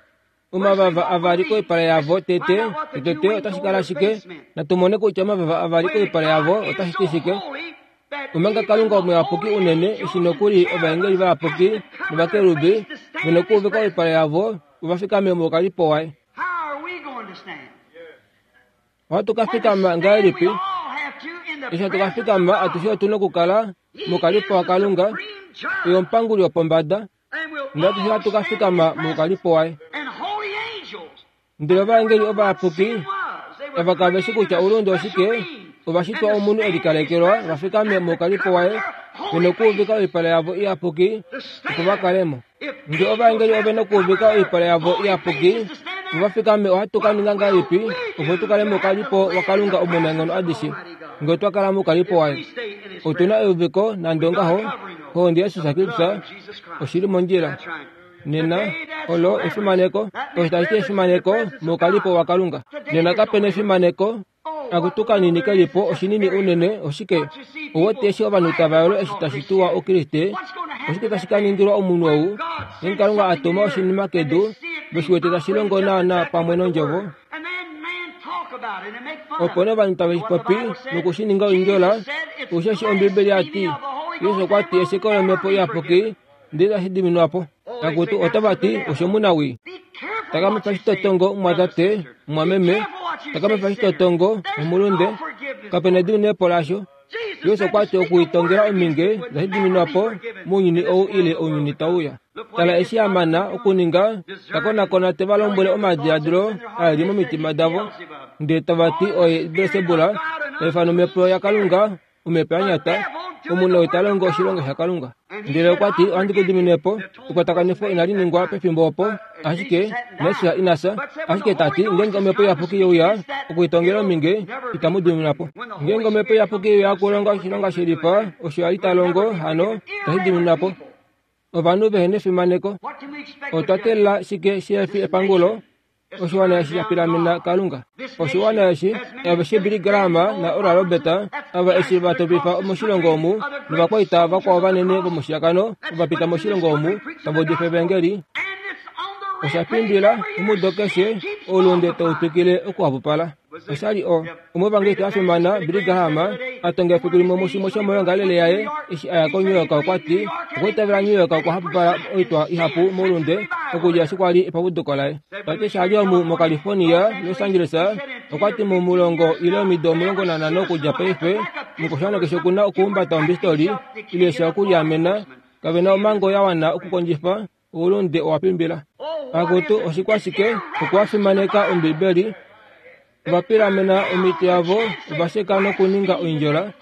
[SPEAKER 1] omavava avali koipala yavo tete, tete otashi kala shike? Natu mone kutya omavava avali koipala yavo otashi ti shike. Omanga Kalunga omuyapuki unene, eshi nokuli ovaengeli vayapuki novakerubi ve nokuuvika oipala yavo, ova fikame moukalipo waye. Ohatu ka fikama ngahelipi? Eshi hatu ka fikama, atushe otu na okukala moukalipo waKalunga, oye omupanguli wopombada, ndele atushe ohatu ka fikama moukalipo waye. Ndele ovaengeli ovayapuki ava kave shi kutya oulunde oshike, ova shitwa omunhu e likalekelwa va fikame moukalipo waye, ve nokuuvika oipala yavo iyapuki opo va kale mo. Ngee ovaengeli ove nokuuvika oipala yavo iyapuki opo va fikame, ohatu ka ninga ngahelipi opo tu kale moukalipo waKalunga Omunaenghono adishe? Ngee otwa kala moukalipo waye, otu na euviko nande ongaho, Ohonde yaJesus Kristus oshi li mondjila. Nena, olo efimaneko, osho tashi ti efimaneko moukalipo waKalunga. Nena kape na efimaneko, akutu kanini ke li po oshinini unene, oshike? Ou wete eshi ovanhu tava yolo eshi tashi tuwa Oukriste, oshike tashi ka ningilwa omunhu ou, ngeenge Kalunga a tuma oshinima kedu, ve shi wete tashi longo naanaa pamwe nOndjovo? Opo nee ovanhu tave shi popi noku shi ninga oindjola, osheshi Ombibeli ya ti, Jesus okwa ti esheko lOmhepo Iyapuki ndele tashi diminwa po. Akutu otava ti oshomunawii. Takamifa shitotongo mumwatate, mumwameme, takamifa shitotongo omulunde, kape na ediminepo lasho. Jesus okwa ti okuitongela ominge itashi diminwa po mounyuni ou ile ounyuni tau uya. Tala eshi a mana okuninga, ta konakona te va lombwele omadiladilo a li momitima davo, ndele tava ti oye Belsebula, ta ifana omhepo yaKalunga omhepo ya nyata, omunhu ou ta longo oshilonga shaKalunga. Ndele okwa ti, Ohandi ku dimine po. Ekwatakanifo inali ningwa pefimbo opo, ashike Messias ina fya. Ashike ta ti, ngeenge omhepo iyapuki ye uya okuitongela ominge, itamu diminwa po. Ngeenge omhepo iyapuki ye uya okulonga oshilonga shelifa osho a li ta longo, hano itashi diminwa po. Ovanhu vehe nefimaneko. Otwa teelela shike shihe fi epangulo? Oshiwana eshi sha pilamena Kalunga. Oshiwana eshi, aveshe Billy Graham naOral Roberts, ava eshi va topifa moshilongo omu, novakwaita vakwao vanene vomushiyakano ova pita moshilongo omu, tava udifa Evangeli. Osha pimbila, omudo keshe, oulunde tau twikile okuhapupala. Osha li o, omuevangeliste a fimana, Billy Graham, a tonga efiku limwe mushimwe shomoyoongalele yaye eshi a ya koNew York okwa ti okwa itavela New York okwa hapupala oitwa ihapu moulunde okudja eshi kwa li epapuduko laye. Ta ti eshi a li omu moCalifornia, Los Angeles, okwa ti momulongo ile omido 15 okudja paife, omukwashiwana keshe oku na okuhumbata ombistoli ile sha okuliamena. Kave na omhango ya wana okukondjifa Oulunde owa pimbila. Akutu, oshikwashike okwa fimaneka Ombibeli, ova pilamena omitwe yavo, ova sheka nokuninga oindjola.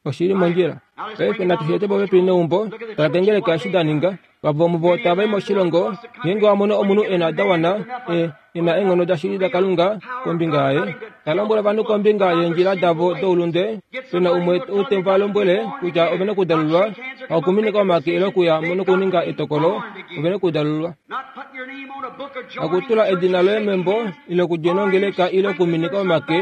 [SPEAKER 1] Oshi li mondjila. Paife natu shi ete popepi neumbo, tala kengeleka eshi da ninga. Vavo muvo tava i moshilongo, ngeenge wa mono omunhu e na da wana, e, e na eenghono dashili daKalunga kombinga yaye, ta lombwele ovanhu kombinga yeendjila davo doulunde, pe na umwe ou te va lombwele kutya ove na okudalulwa, hakuminika omake ile okuya mo nokuninga etokolo, ove na okudalulwa. Hakutula edina loye membo ile okudjena ongeleka ile okuminika omake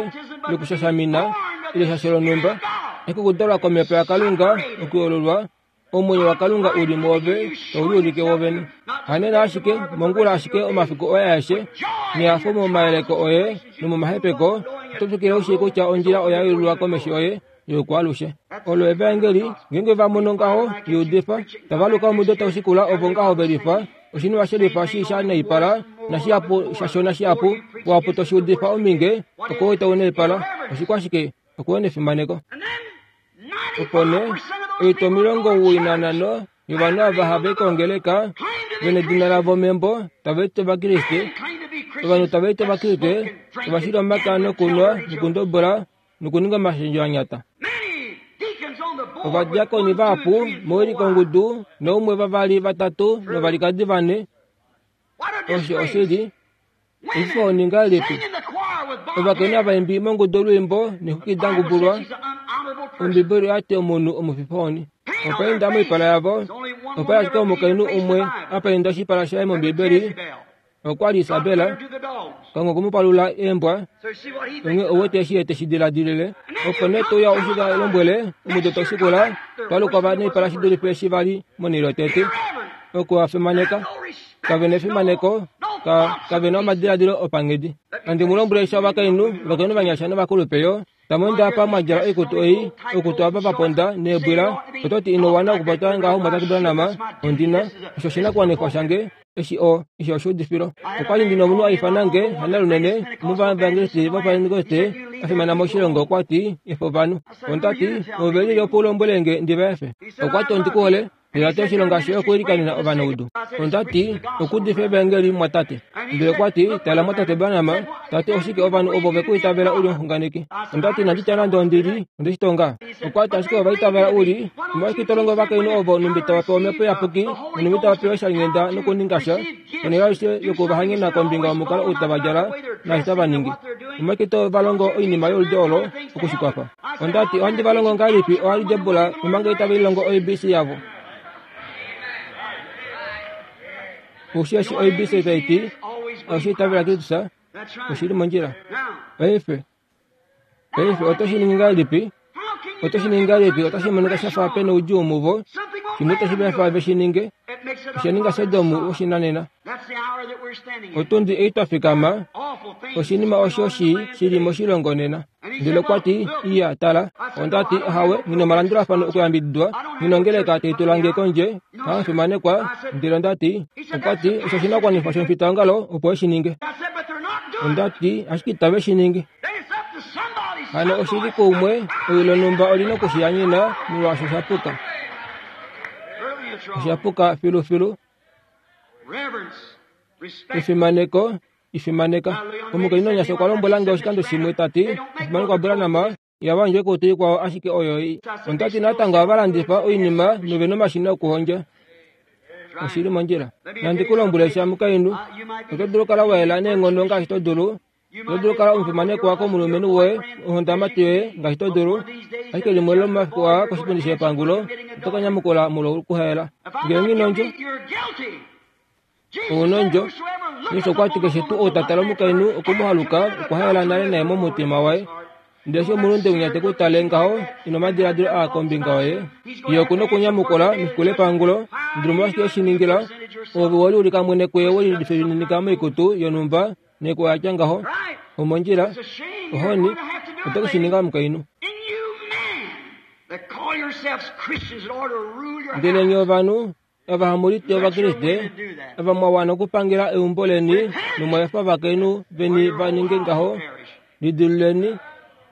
[SPEAKER 1] ile okushashamina ile sha sholonhumba, ashike okudalwa komhepo yaKalunga, okuyoololwa Omwenyo waKalunga u li mwoove tau liulike wovene. Hanena ashike, mongula ashike omafiku oye aeshe, nehafo momayeleko oye nomomahepeko, oto twikile u shii kutya ondjila oya yelulwa komesho yoye youkwaalushe. Olo evaengeli, ngeenge va mono ngaho, li udifa, tava luka omudo tau shikula ovo ngaho ve lifa, oshinima she lifa shi sha naipala, nashihapu shashona shihapu, wapu to shi udifa ominge, oko itau naipala. Oshikwashike? Okuwena efimaneko. Opo nee, oitwa 95 yovanhu ava hava i kongeleka ve nedina lavo membo tava iti Ovakriste, ovanhu tava iti Ovakriste ova shila omaka nokunwa nokundobola nokuninga omashendjo a nyata. Ovadiakoni vahapu mowilikongudu noumwe vavali vatatu novalikadi vane. Osho oshili. Oshifo oningalipi? Ovakainhu avaimbi mongudu olwiimbo nexuki da ngubulwa. Ombibeli oya ti omunhu omufifoni. Okwa enda moipala yavo. Opa li ashike omukainhu umwe a painda oshipala shaye mOmbibeli. Okwa li Isabel. Kalunga okwe mu palula eembwa. Onghee ou wete eshi ye te shi diladilile. Opo nee to uya u shi va lombwele, omudo tau shikula, twa lukwa va noipala shi dulife eshi va li monhele yotete. Oku a fimaneka. Kave na efimaneko, ka, kave na omadiladilo opanghedi. Nandi mu lombwele sha ovakainhu, ovakainhu vanyasha novakulupe yo, tamu ende apa mwa djala oikutu ei, oikutu ava va ponda neebwila, oto ti ino wana okupopya ngaho Mwatate Branham, ondi na, osho oshinakuwanifwa shange, eshi o, eshi oshuudifilo. Okwa li ndi nomunhu a ifana nge, hanalunene, omuvavangeliste vopaentekoste a fimana moshilongo, okwa ti, Efa ovanhu. Onda ti, Ove lyelye opo u lombwele nge ndi va efe? Okwa ti, Ondi ku hole. Ndele ta ti oshilonga shoye okuilikanena ovanaudu. Onda ti, Okuudifa evaengeli, mwatate. Ndele okwa ti, Tala, mwatate Branham, ta ti, oshike ovanhu ovo ve ku itavela u li omuxunganeki? Onda ti, Inandi tya nande ondi li, onde shi tonga. Okwa ti, Ashike ova itavela u li. Omolwashike to longo ovakainhu ovo nhumbi tava pewa Omhepo Iyapuki, nonhumbi tava pewa oishalinghenda nokuninga sha, ponhele aishe yoku va hanyena kombinga yomukalo ou tava djala naashi tava ningi? Omolwashike to va longo oinima yoludi olo oku shi kwafa? Onda ti, Ohandi va longo ngahelipi oaljebula omanga itave lilongo oABC yavo? Ou shii eshi oABC tai ti? Osho itavela Kristus, oshi li mondjila. Paife, paife oto shi ningi ngahelipi? Oto shi ningi ngahelipi? Otashi monika sha fa pe noudjuu muvo. Shimwe itashi va fa ve shi ninge. Osha ninga Sodom woshinanena. Otundi ei twa fikama, oshinima osho shi shi li moshilongo nena. Ndele okwa ti, Iya, tala. Onda ti, Ahawe, nghi na omalandulafano okuyambididwa, nghi na ongeleka tai tula nge kondje, hamufimanekwa. Ndele onda ti, Okwa ti, Osho oshinakuwanifwa shomufitaongalo opo e shi ninge. Onda ti, Ashike itave shi ningi. Hano oshi li kuumwe, ewi lonhumba oli na oku shi yanyena, molwaashi osha puka. Osha puka filufilu. Efimaneko, ifimaneka. Omukainhu onyasha okwa lombwela nge oshikando shimwe ta ti, Omufimanekwa Branham, ihava hondjo oikutu ikwao ashike oyo ei. Onda ti natango ohava landifa oinima nove na omashina okuhondja. Oshi li mondjila. Nandi ku lombwele sha mukainhu, oto dulu okukala wa yela neenghono ngaashi to dulu, Oto dulu okukala omufimanekwa komulumenhu woye, ohondamati yoye, ngaashi to dulu. Ashike limwe lomomafiku aa koshipundi shepangulo, oto ka nyamukula molwokuhaela. Ngee nghi nondjo, ou nondjo. Jesus okwa ti keshe tuu ou ta tale omukainhu oku mu haluka, okwa haela nale naye momutima waye. Ndele eshi omulunde winya te ku tale ngaho, ina omadiladilo aa kombinga yoye, ye oku na okunyamukula mefiku lepangulo. Ndele omolwashike e shi ningila? Ove we liulika mwene kuye we lifininika moikutu yonhumba. Neko ya tya ngaho, omondjila, ohoni, oto ke shi ninga omukainhu. Ndele nye ovanhu, ava hamu liti Ovakriste, ava mwa wana okupangela eumbo leni nomwa efa ovakainhu veni va ninge ngaho, lidiluleni,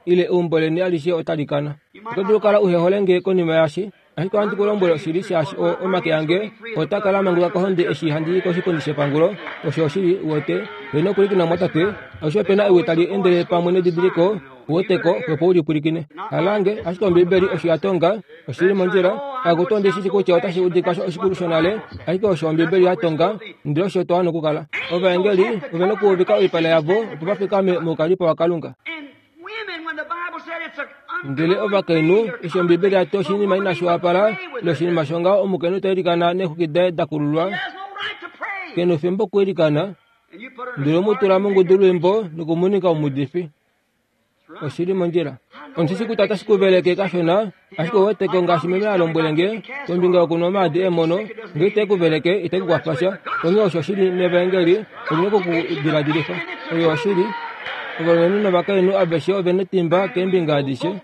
[SPEAKER 1] ile eumbo leni alishe otali kana. Oto dulu okukala uhe hole nge konima yaashi, ashike ohandi ku lombwele oshili shaashi o, omake ange ota kala a manguluka kohonde eshi handi i koshipundi shepangulo. Osho oshili, uwete. Oye nokupwilikina mumwatate, alushe ope na ewi tali endele pamwe nedidiliko, uweteko, opo u li pwilikine. Halange, ashike Ombiibeli osho ya tonga, oshi li mondjila. Akutu ondi shi shi kutya otashi udika sho oshikulu shonale, ashike osho Ombiibeli ya tonga, ndele osho twa wana okukala. Ovaengeli ove nokuuvika oipala yavo opo va fikame moukalipo waKalunga. Ndele ovakainhu, eshi Ombiibeli ya ti oshinima inashi wapala, ile oshinima shongaho omukainhu ta ilikana neexwiki daye da kululwa, ke nofimbo okwiilikana, ndele mu tula mongudulwiimbo noku mu ninga omuudifi. Oshi li mondjila. Ondi shi kutya otashi ku veleke kashona, ashike ou wete ko ngaashi meme a lombwele nge kombinga yokunwa omaadi eemono, nge ite ku veleke, ite ku kwafa sha. Onghee osho shi li mevaengeli, oli na oku ku diladilifa. Oyo oshili. Ovalumenhu novakainhu aveshe ove netimba keembinga adishe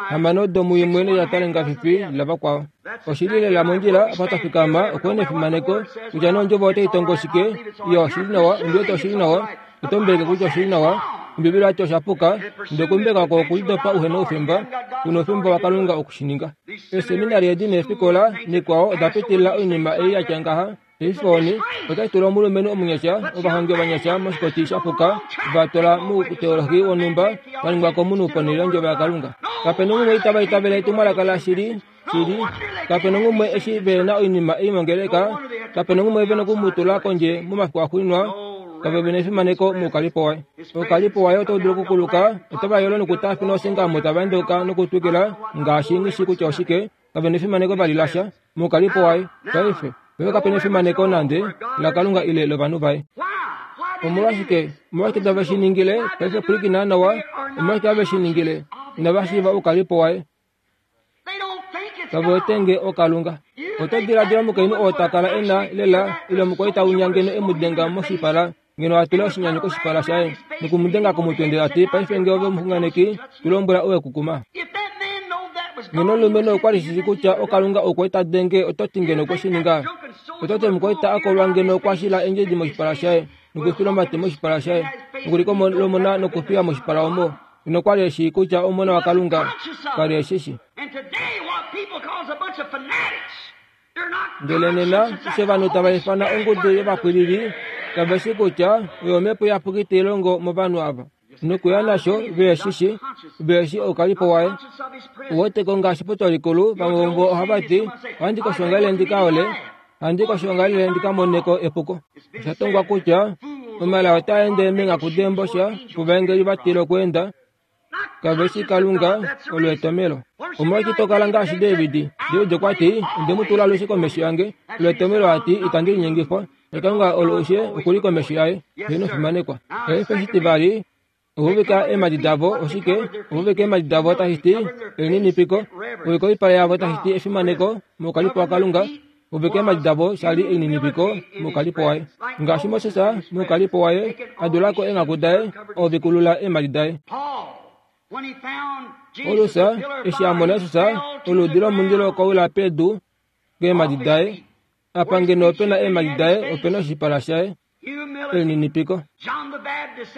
[SPEAKER 1] hamano domuimwe nelata lengafifi lavakwao. Oshi li lela mondjila apa twa fikama okuhe nefimaneko kutya nee ondjovo otai tongo shike. Iyo, oshi li nawa, ondi wete oshi li nawa. Oto mbeleke kutya oshi li nawa. Ombibeli oya ti osha puka, ndele okumbeka oko okulidopa uhe na oufemba, u na oufemba waKalunga oku shi ninga. Eeseminari edi neefikola nikwao oda pitilila oinima ei ya tya ngaha. Paife otashi tula omulumenhu omunyasha, ovahongi ovanyasha moshikoti sha puka, va twala mouteolohi wonhumba wa ningwa komunhu ponhele yOndjovo yaKalunga. Kape nonghumwe itava itavele etumwalaka lashili, shili. Kape nonghumwe eshi ve na oinima ei mongeleka, kape nonghumwe ve noku mu tula kondje momafiku axuuninwa, kave ve nefimaneko moukalipo waye. Oukalipo waye otau dulu okukuluka, otava yolo nokutaafina osingamo tava endeuka nokutwikila ngaashi nghi shii kutya oshike, kave nefimaneko vali lasha. Mukalipo waye paife paife kape nefimaneko nande laKalunga ile lovanhu vaye. Omolwashike? Omolwashike tave shi ningile? Paife pwilikina nawa. Omolwashike have shi ningile? Inava shiiva oukalipo waye. Kave wete nge oKalunga. Oto diladila omukainhu oo ta kala e na lela ile omukwaita winya ngeno e mu denga moshipala ngeno a tula oshinyanyu koshipala shaye noku mu denga komutwe ndele a ti, Paife nge ove omuxunganeki, tu lombwela ou e ku kuma. Ngeno omulumenhu okwa li shii kutya oKalunga okwe ta denge, oto ti ngeno okwe shi ninga? Oto ti omukwaita a kolwa ngeno okwa shila eendjedi moshipala shaye nokufila omate moshipala shaye nokulikolomona nokufiya moshipala omo? Ngeno okwa li e shii kutya Omona waKalunga? Ka li e shi shii. Ndele nena, eshi ovanhu tava ifana ongudu yovapwilili, kave shi kutya oyo omhepo iyapuki tai longo movanhu ava. Nokuya nasho, ve shi shi, ve shi oukalipo waye. U wete ko ngaashi potwalikulu, vamwe vomuvo ohava ti, Ohandi koshoongalele ndi ka ole, ohandi koshoongalele ndi ka mone ko epuko. Osha tongwa kutya omala otaa ende meenghaku deembosha, ovaengeli va tila okweenda, Kave shi Kalunga olo etomelo. Omolwashike to kala ngaashi David? David okwa ti, Onde mu tula alushe komesho yange. Olo etomelo a ti, Itandi linyengifwa. Nakalunga olo ushe oku li komesho yaye. Heeno fimanekwa. Paife shitivali, ouvika eemhadi davo, oshike? Ouvika eemhadi davo tashi ti elininipiko. Ouvika oipala yavo tashi ti efimaneko moukalipo waKalunga. Uvika eemhadi davo sha li elininipiko moukalipo waye. Ngaashi Moses moukalipo waye a dula ko eenghaku daye, ovikulula eemhadi daye. Paulus eshi a mona Jesus, oluudi lomundilo okwa wila pedu keemhadi daye. Apa ngeno ope na eemhadi daye, ope na oshipala shaye. Elininipiko.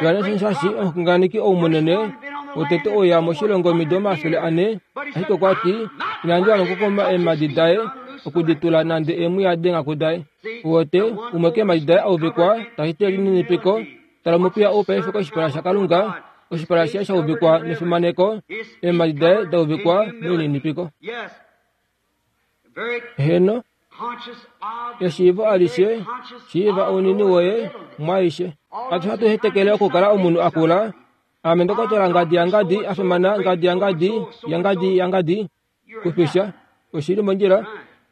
[SPEAKER 1] Johannes Mushashi, omuxunganeki ou munene wotete ouya moshilongo omido 400, ashike okwa ti, Inandi wana okukoma eemhadi daye, oku di tula nande eemwiya deenghaku daye. Uwete, umwe keemhadi daye a uvikwa, tashi ti elininipiko, tala omupiya ou paife koshipala shaKalunga, oshipala shaye sha uvikwa nefimaneko, eemhadi daye da uvikwa melininipiko. Heeno, eshiivo alishe, shiiva ounini woye mwaaishe. Hatu hatu hetekele okukala omunhu a kula. Ame ndokotola ngadi yangadi a fimana ngadi yangadi yangadi yangadi kufisha. Oshi li mondjila,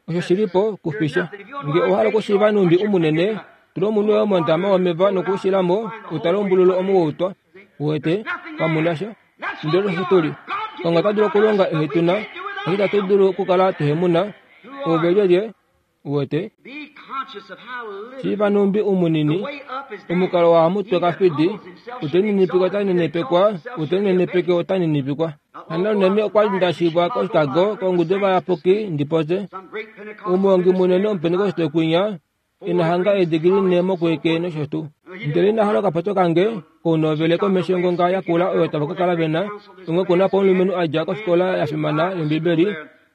[SPEAKER 1] osho shi li po kufisha. Nge owa hala okushiiva nhumbi umunene, tula omunhu woye mondama womeva nokuushila mo, u tale ombululu omo wa utwa. Uwete, kamu na sha. Ndele osho tu li. Kalunga ota dulu okulonga ehe tu na, ashike itatu dulu okukala tuhe mu na. Oove lyelye? Uwete? Shiiva nhumbi umunini, omukalo wahamutwe kafidi, ute ninipikwa ota ninipikwa, ute ninipike ota ninipikwa. Hano unene okwa li nda shivwa koChicago kongudu yovayapuki ndi popye. Omuhongi munene Omupentekoste kwinya ina hanga eedigili nhe mokuwike nosho tuu. Ndele ina hala okapopyo kange kounovele komesho yongonga yakula oyo tava ka kala ve na, onghee ku na po omulumenhu a dja kofikola ya fimana yOmbibeli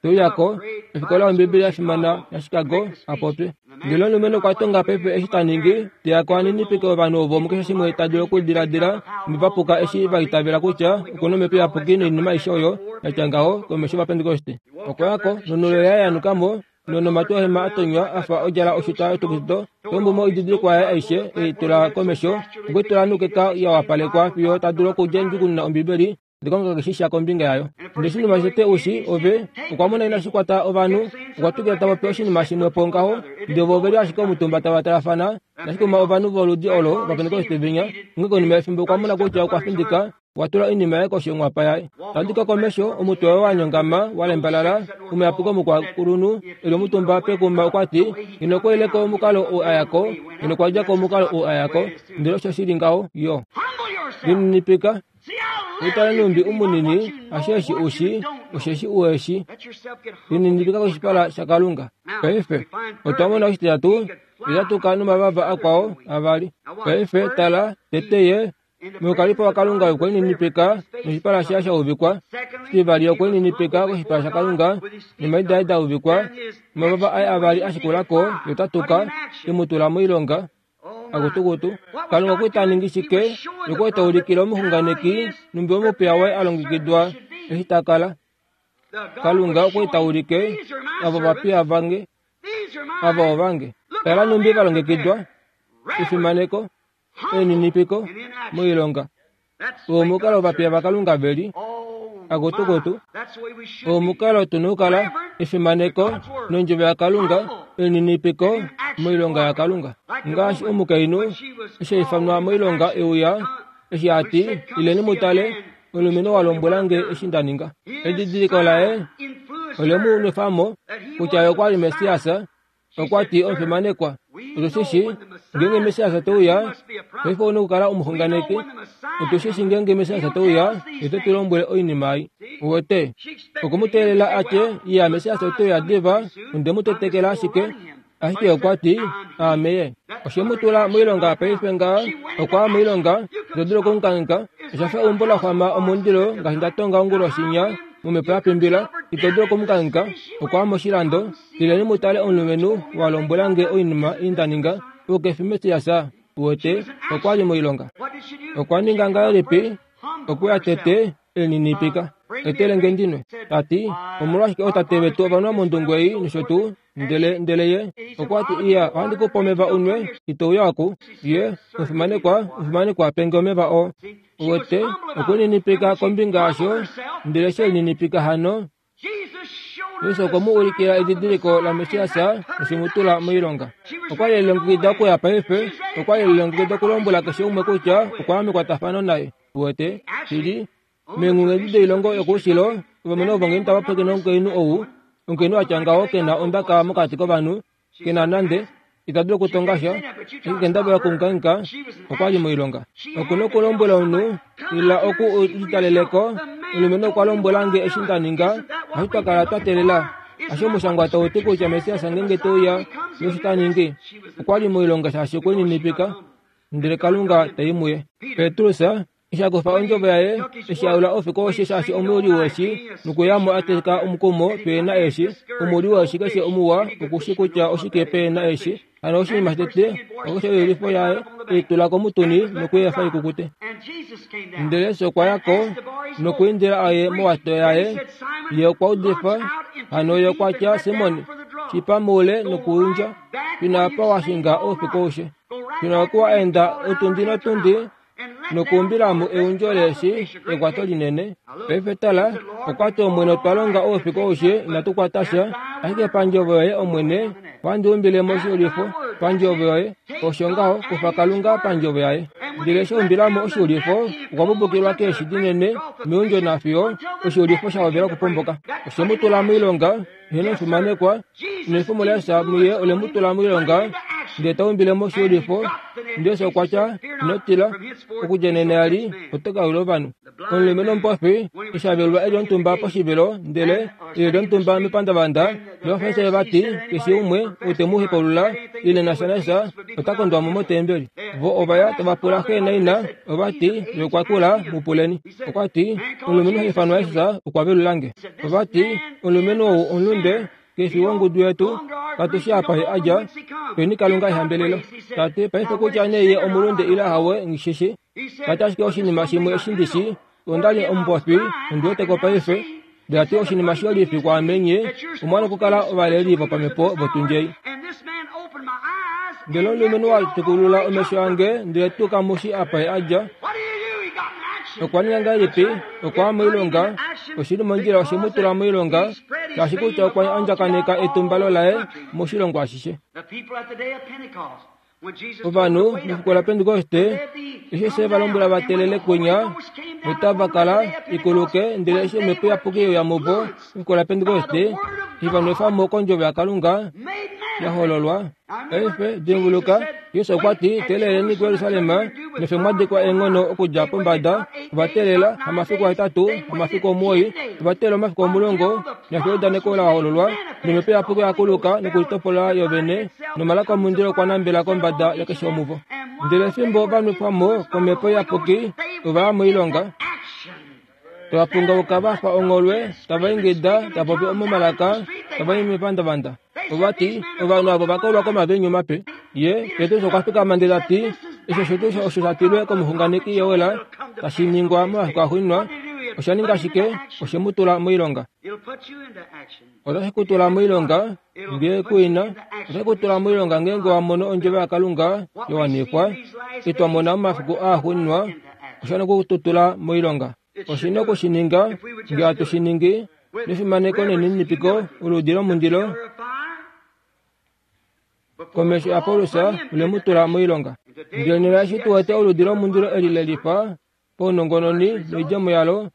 [SPEAKER 1] te uya ko, ofikola yOmbibeli ya fimana yaChicago, a popye. Ndele omulumenhu okwa tonga paife eshi ta ningi, te ya ko a ninipike ovanhu ovo mukeshe shimwe ta dulu okudiladila nova puka eshi va itavela kutya oku na Omhepo Iyapuki noinima aishe oyo ya tya ngaho komesho yOvapentekoste. Okwa ya ko, nonhulo yaye ya nuka mo, nonomatu ohema a tonywa a fa odjala oshuta yotukututo, tombu mo oididilikwa yaye aishe e i tula komesho, okwe i tula noukeka ya wapalekwa fiyo ta dulu okudja ndjukununa Ombibeli Ndikonga keshe sha kombinga yayo. Ndele oshinima shotete u shi, ove, okwa mona inashi kwata ovanhu, okwa twikila ta popi oshinima shimwe po ngaho, ndele vo ove li ashike omutumba tava talafana, nashi kuma ovanhu voludi olo Ovapentekoste venya. Onghee konima yefimbo okwa mona kutya okwa findika, okwa tula oinima yaye koshi yonghwapa yaye. Ta dika komesho, omutwe waye wa nyongama, wa lembalala, omuyapuki omukwakulunhu, e li omutumba pekuma, okwa ti, Ngeno okwa ile ko omukalo ou a ya ko, ngeno okwa dja ko omukalo ou a ya ko. Ndele osho shi li ngaho, yo. Lininipika. Utale nhumbi u munini, asheshi u shi, osheshi u eshi. Lininipika koshipala shaKalunga. Paife, otwa mona oshititatu, ita tuka nomavava akwao avali. Paife, tala, tete ye, moukalipo waKalunga okwe lininipika noshipala shaye sha uvikwa. Shitivali, okwe lininipika koshipala shaKalunga nomaidi aye da uvikwa. Omavava aye avali a shikula ko, ye ota tuka, e mu tula moilonga. Akutukutu, Kalunga okwa li ta ningi shike? Okwa li ta ulikile omuxunganeki nhumbi omupiya waye a longekidwa eshi ta kala. Kalunga okwa li ta ulike ava ovapiya vange, ava ovange. Tala nhumbi va longekidwa, efimaneko, elininipiko moilonga. Oo omukalo ovapiya vaKalunga ve li. Akutukutu, oo omukalo tu na okukala, efimaneko nondjovo yaKalunga, elininipiko moilonga yaKalunga. Ngaashi omukainhu eshi a ifanwa moilonga e uya, eshi a ti, Ileni mu tale, omulumenhu wa lombwela nge eshi nda ninga. Edidiliko laye ole mu nwefa mo kutya ye okwa li Messias. Okwa ti, Omufimanekwa, otu shi shii, ngeenge Messias te uya, paife ou na okukala omuxunganeki. Otu shi shii ngeenge Messias te uya, ye ote tu lombwele oinima ei. Uwete? Okwe mu teelela a tye, Iya, Messias ote uya diva, onde mu tetekela ashike. Ashike okwa ti, Aame ye. Oshe mu tula moilonga paife ngaha, okwa ya moilonga, ito dulu oku mu kangheka. Osha fa eumbo la xwama omundilo, ngaashi nda tonga onguloshinya, momhepo ya pimbila, ito dulu oku mu kangheka. Okwa ya moshilando. Ileni mu tale omulumenhu wa lombwela nge oinima ei nda ninga, ou ke fi Messias? Uwete, okwa li moilonga. Okwa ninga ngahelipi? Okwe ya tete, e lininipika. Etele nge ndi nwe. Ta ti, Omolwashike ootate vetu ova nwa mondungu ei nosho tuu? Ndele, ndele ye okwa ti, Iya, ohandi ku pe omeva u nwe, ito uya oku. Ye, omufimanekwa, omufimanekwa, pe nge omeva oo. Uwete, okwe lininipika kombinga yasho, ndele she lininipika hano, Jesus okwe mu ulikila edidiliko laMessias noshe mu tula moilonga. Okwa li e lilongekida okuya paife, okwa li e lilongekida okulombwela keshe umwe kutya okwa ya mekwatafano naye. Uwete, shili, meenghungu edi doilongo yokoushilo, ovalumenhu ovo ngeenge tava pwilikine omukainhu ou, omukainhu a tya ngaho ke na ondaka mokati kovanhu, Ke na nande, ita dulu okutonga sha, ashike kendabala okungainga okwa li moilonga. Oku na okulombwela omunhu, ila oku u litalele ko, omulumenhu okwa lombwela nge eshi nda ninga, hasho twa kala twa teelela. Hasho omushangwa tau ti kutya Messias ngeenge te uya, ye osho ta ningi. Okwa li moilonga shaashi okwe lininipika, ndele Kalunga ta i muye. Petrus Eshi a kufa ondjovo yaye, eshi a ula oufiku aushe shaashi omuyuli weeshi, nokuya mo a teka omukumo pe na eeshi. Omuyuli weeshi keshe omuwa oku shi kutya oshike pe na eeshi. Hano oshinima shotete, okwa kufa oiyulifo yaye, e i tula komutuni noku i efa i kukute. Ndele Jesus okwa ya ko nokwiindila a ye mowato yaye. Ye okwa udifa, hano ye okwa tya, Simon, shipa moule nokuundja, shuna apa wa shinga oufiku aushe. Shuna oku wa enda otundi notundi. Nokuumbila mo eundjo leeshi ekwato linene. Paife tala, okwa ti Omwene otwa longa oufiku aushe inatu kwata sha, ashike pandjovo yoye Omwene, ohandi umbile mo oshiulifo pandjovo yoye. Osho ngaho, kufa Kalunga pandjovo yaye. Ndele eshi a umbila mo oshiulifo, okwa pupukilwa keeshi dinene meundjo nafiyo oshiulifo sha hovela okupomboka. Oshe mu tula moilonga, ye nomufimanekwa, nefumo laEsa muye ole mu tula moilonga, ndele ta umbile mo oshiulifo. Ndele Esa okwa tya, Ino tila, okudja nena eli oto ka yula ovanhu. Omulumenhu omupofi eshi a velulwa e li omutumba poshivelo, ndele e li omutumba mepandavanda, nOvafarisai va ti, Keshe umwe ou te mu hepaulula ile na sha na sha, ota kondwa mo motembeli. Vo ova ya tava pula xe naina, ova ti, Ye okwa kula, mu puleni. Okwa ti, Omulumenhu ha ifanwa Jesus okwa velula nge. Ova ti, Omulumenhu ou omulunde, ke fi wongudu yetu, katu shii apa ye a dja, peni Kalunga ehambelelo. Ta ti, Paife kutya nee ye omulunde ile ahawe, nghi shi shii. Ta ti ashike oshinima shimwe eshi ndi shii, onda li omupofi, ondi wete ko paife. Ndele ta ti oshinima shiyolifi kwaame nye omwa nokukala ovaleli vopamhepo votundjei. Ndele omulumenhu wa tukulula omesho ange, ndele tuu kamu shii apa ye a dja. Okwa ninga ngahelipi? Okwa ya moilonga. Oshi li mondjila oshe mu tula moilonga, shaashi kutya okwa andjakaneka etumbalo laye moshilongo ashishe. Ovanhu mefiku laPentekoste eshi se va lombwela va telele kwinya notava kala ikuluke, ndele eshi Omhepo Iyapuki ye uya muvo mefiku laPentekoste, eshi va nwefa mo kondjovo yaKalunga ya hololwa. Paife dimbuluka, Jesus okwa ti, Teeleleni kuJerusalem, nefyo mwa dikwa eenghono okudja pombada. Ova teelela hamafiku ahetatu, hamafiku omuwoi, ova teelela omafiku 10, nefyo eudaneko la hololwa, nomhepo iyapuki oya kuluka nokulitopola yo vene, nomalaka omundilo okwa nambela kombada yakeshe womuvo. Ndele fimbo va nwefwa mo komhepo iyapuki, ova ya moilonga. Tava pungauka va fa ongholwe, tava ingida, tava popi momalaka, tava i mepandavanda. Ova ti, Ovanhu avo va kolwa komaviinyu mape. Ye, Petrus okwa fikama ndele ta ti, Eshi osho tuu osho sha tilwe komuxunganeki Joel tashi ningwa momafiku axuuninwa. Osha ninga shike? Oshe mu tula moilonga. Otashi ku tula moilonga ngee ku ina. Otashi ku tula moilonga ngeenge wa mono ondjovo yaKalunga ya wanifwa, i twa mona momafiku aaxuuninwa. Osha noku tu tula moilonga. Oshi na oku shi ninga ngee hatu shi ningi nefimaneko nelininipiko, oludi lomundilo komesho yaPaulus ole mu tula moilonga. Ndele nena eshi tu wete oludi lomundilo eli le lifa paunongononi noidjemo yalo,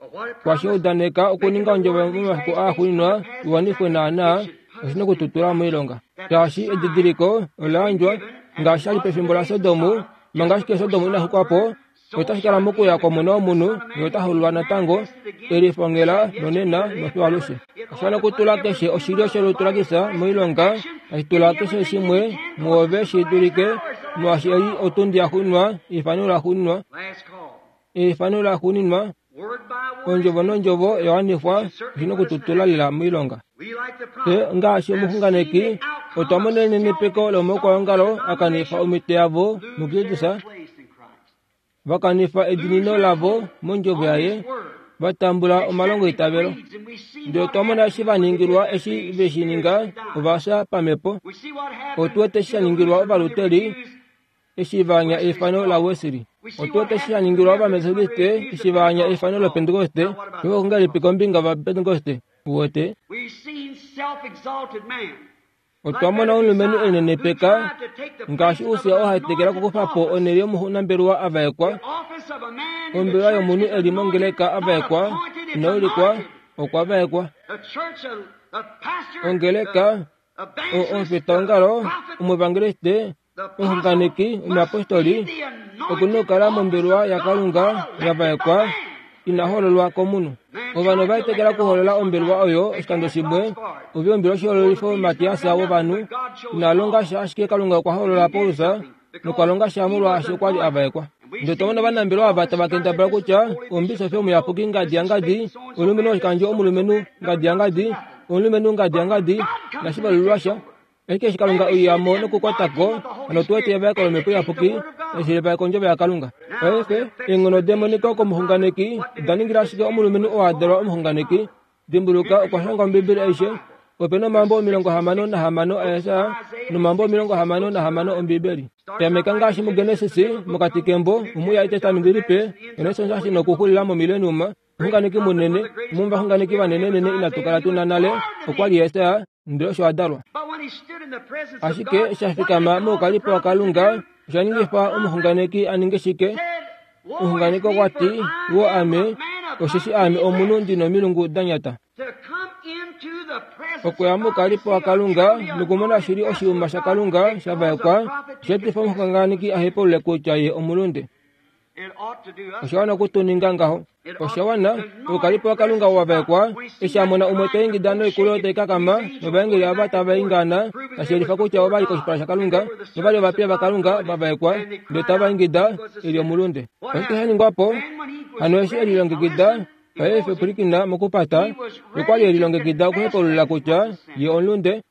[SPEAKER 1] kwashi udaneka okuninga ondjovo momafiku aaxuuninwa i wanifwe naanaa, oshi na oku tu tula moilonga. Shaashi edidiliko ola yandjwa, ngaashi sha li pefimbo laSodom, manga ashike Sodom ina xukwa po, otashi kala mokuya kwOmona wOmunhu, ye ota hololwa natango, e lifongela nonena nofiyo alushe. Osha wana okutula keshe oshilyo sholutu laKristus moilonga, tashi tula keshe shimwe muove shi dulike, molwaashi ei otundi yaxuuninwa, eifano laxuuninwa, eifano laxuuninwa, ondjovo nondjovo ya wanifwa, oshi na okututula lela moilonga. Fye ngaashi omuxunganeki, otwa mona enenepeko lomaukwaongalo a kanifa omhito yavo muKristus, va kanifa edinino lavo mondjovo yaye, va tambula omalongoitavelo. Ndele otwa mona eshi va ningilwa eshi ve shi ninga, ova fya pamhepo. Otu wete eshi sha ningilwa Ovaluteri eshi va anya eifano laWesley. Otu wete eshi sha ningilwa Ovametodiste eshi va anya eifano lOpentekoste. Paife ongahelipi kombinga yOvapentekoste? Uwete? Otwa mona omulumenhu e linenepeka ngaashi Ussia oo ha tekela okukufa po onhele yomunambelewa a vaekwa, ombelewa yomunhu e li mongeleka a vaekwa, ina ulikwa, okwa vaekwa. Ongeleka, omufitaongalo, omuevangeliste, omuxunganeki, omuyapostoli, oku na okukala mombelewa yaKalunga ya vaekwa ina hololwa komunhu. Ovanhu ova etekela okuholola ombelewa oyo oshikando shimwe. Ove ombelewa oshihololifo Matias wovanhu ina longa sha ashike Kalunga okwa holola Paulus nokwa longa sha molwaashi okwa li a vaekwa. Ndele otwa mona ovanambelewa ava tava kendabala kutya omubisofi omuyapuki ngadi yangadi, omulumenhu woshikandjo omulumenhu ngadi yangadi, omulumenhu ngadi yangadi, inashi valulilwa sha. Ashike eshi Kalunga oiya mo nokukwata ko, hano otu wete evaeko lOmhepo Iyapuki, eshi levaeko Ondjovo yaKalunga. Paife, eenghono demoniko komuxunganeki oda ningila ashike omulumenhu oo a dalwa omuxunganeki. Dimbuluka, okwa shanga Ombibeli aishe. Ope na omambo 66 aJesaja nomambo 66 Ombibeli. Tameka ngaashi muGenesis, mokati kembo, omuya Etestamenti Lipe, Genesis ashi nokuxulila moMillennium. Omuxunganeki munene, umwe womovaxunganeki vanenenene inatu kala tu na nale, okwa li Jesaja, ndele osho a dalwa. Ashike eshi a fikama moukalipo waKalunga, osha ningifa omuxunganeki a ninge shike? Omuxunganeki okwa ti, Woo ame, osheshi aame omunhu ndi nomilungu da nyata. Okuya moukalipo waKalunga nokumona shili oshiuma shaKalunga sha vaekwa, osha etifa omuxunganeki a hepaulule kutya ye omulunde. Osha wana oku tu ninga ngaho. Osha wana, oukalipo waKalunga wa vaekwa, eshi a mona umwe ta ingida noikulo tai kakama, novaengeli ava tava ingaana, tashi yelifa kutya ova li koshipala shaKalunga, nova li ovapiya vaKalunga va vaekwa, ndele tava ingida, e li omulunde. Oshike sha ningwa po? Hano eshi e lilongekida, paife pwilikina mokupata, okwa li e lilongekida okuhepaulula kutya ye omulunde.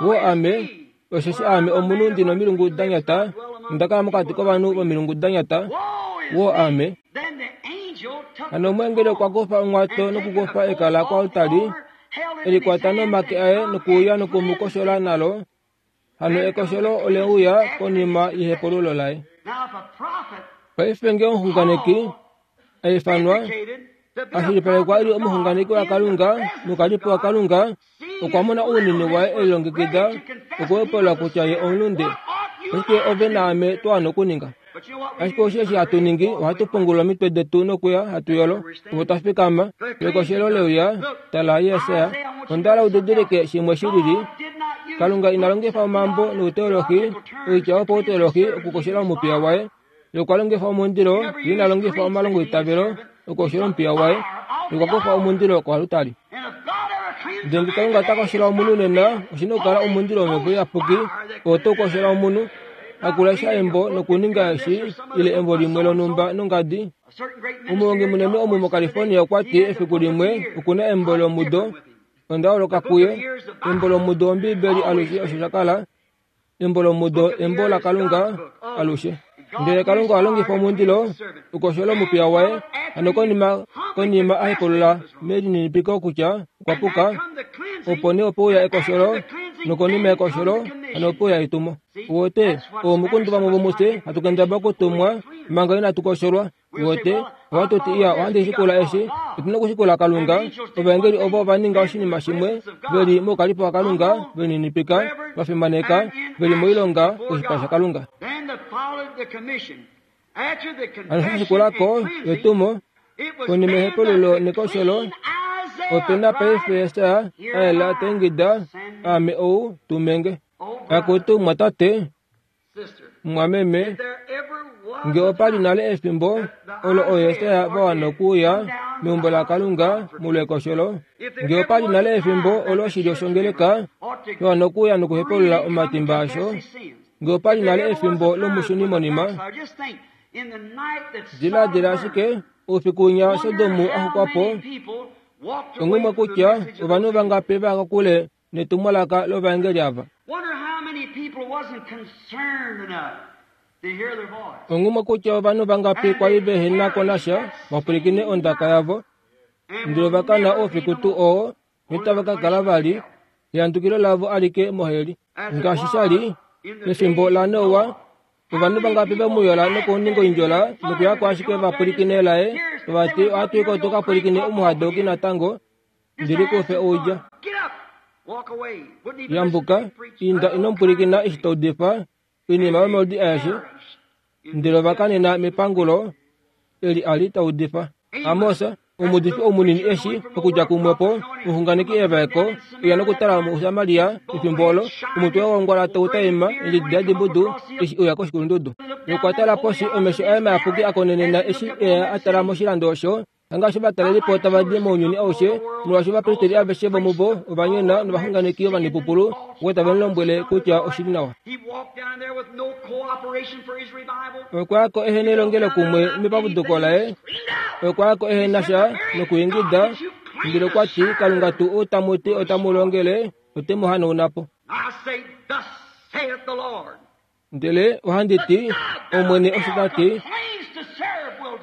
[SPEAKER 1] Woo ame, Osheshi aame omunhu ndi nomilungu da nyata, nonda kala mokati kovanhu vomilungu da nyata. Woo ame! Hano omweengeli okwa kufa onghwato nokukufa eka lakoaltari, e li kwata nomake aye nokuuya noku mu koshola nalo. Hano ekosholo ole uya konima yehepululo laye. Paife ngee omuxunganeki a ifanwa, a shilipalekwa e li omuxunganeki waKalunga nokalipo waKalunga, Okwa mona ounene waye e lilongekida okuhepulula kutya ye omulunde. Oshike ove naame twa wana okuninga? Ashike osho eshi hatu ningi, ohatu pungula omitwe detu nokuya hatu yolo, opo twa fikama. Pekoshelo leuya, tala Jesaja. Onda hala u didilike shimwe shi lili. Kalunga ina longifa omambo nouteolohi, oitya yopauteolohi okukoshela omupiya waye. Ye okwa longifa omundilo, ye ina longifa omalongoitavelo okukoshela omupiya waye. Ye okwa kufa omundilo koalutari. Ndele ngee Kalunga ota koshela omunhu nena, oshi na okukala omundilo wOmhepo Iyapuki oo tau koshela omunhu. Hakulesha embo nokuninga eshi ile embo limwe lonhumba nongadi. Omuhongi munene omu moCalifornia okwa ti efiku limwe oku na embo lomudo. Onda holoka kuye. Embo lomudo wOmbiibeli alushe osho sha kala. Embo lomudo embo laKalunga alushe. Ndele Kalunga oha longifa omundilo okukoshola omupiya waye, hano konima konima a hekolola melininipiko kutya okwa puka, opo nee ope uya ekosholo, nokonima yekosholo hano ope uya etumo. Uwete, oomukundu vamwe vomufye hatu kendabala okutumwa manga inatu kosholwa. Uwete, ohatu ti, Iya, ohandi shikula eshi. Otu na okushikula Kalunga. Ovaengeli ovo ova ninga oshinima shimwe, ve li moukalipo waKalunga, ve lininipika, va fimaneka, ve li moilonga koshipala shaKalunga. Hano sha shikula ko etumo, konima yehepululo nekosholo, ope na paife Jesaja a yela ta ingida, Aame ou, tume nge. Akutu, mwatate, Mumwameme, nge opa li nale efimbo olo ooYesaya va wana okuuya meumbo laKalunga molwekosholo, nge opa li nale efimbo olo oshilyo shongeleka sha wana okuuya nokuhepaulula omatimba asho, nge opa li nale efimbo lomushunimonima, diladila ashike oufiku winya Sodomu a xukwa po, onghumwe kutya ovanhu vangapi va ya kokule netumwalaka lovaengeli ava. Onghumwe kutya ovanhu vangapi kwa li vehe na ko nasha va pwilikine ondaka yavo, ndele ova kana oufiku tuu oo notava ka kala vali ehandukilo lavo alike moheli. Ngaashi sha li pefimbo laNoa, ovanhu vangapi ve mu yola nokuninga oindjola nokuya ko ashike va pwilikine laye, tava ti, Ohatu i ko tu ka pwilikine omuhadouki natango, Ndili kufe oudja. Yambuka, inda ino pwilikina eshi ta udifa oinima yomaudi aeshe, ndele ova kanena mepangulo eli a li ta udifa. Amos, omuudifi ou munini eshi, okudja kumwepo, omuxunganeki evaeko, uya nokutala muSamaria efimbo olo, omutwe wongwala tau taima, eendjedi dadibudu, eshi uya koshikulundudu. Nokwa tala poshi, omesho aye mayapuki a konenena eshi e a tala moshilando osho, Hangaashi ovatalelipo tava di mounyuni aushe, molwaashi ovapristeri aveshe vomuvo ova nyona novaxunganeki ovanipupulu ovo tave mu lombwele kutya oshi li nawa. Okwa ya ko ehe nelongelokumwe mepapuduko laye, okwa ya ko ehe na sha nokuingida, ndele okwa ti, Kalunga tuu ou tamu ti otamu longele, ote mu hanauna po. Ndele ohandi ti, Omwene osho ta ti,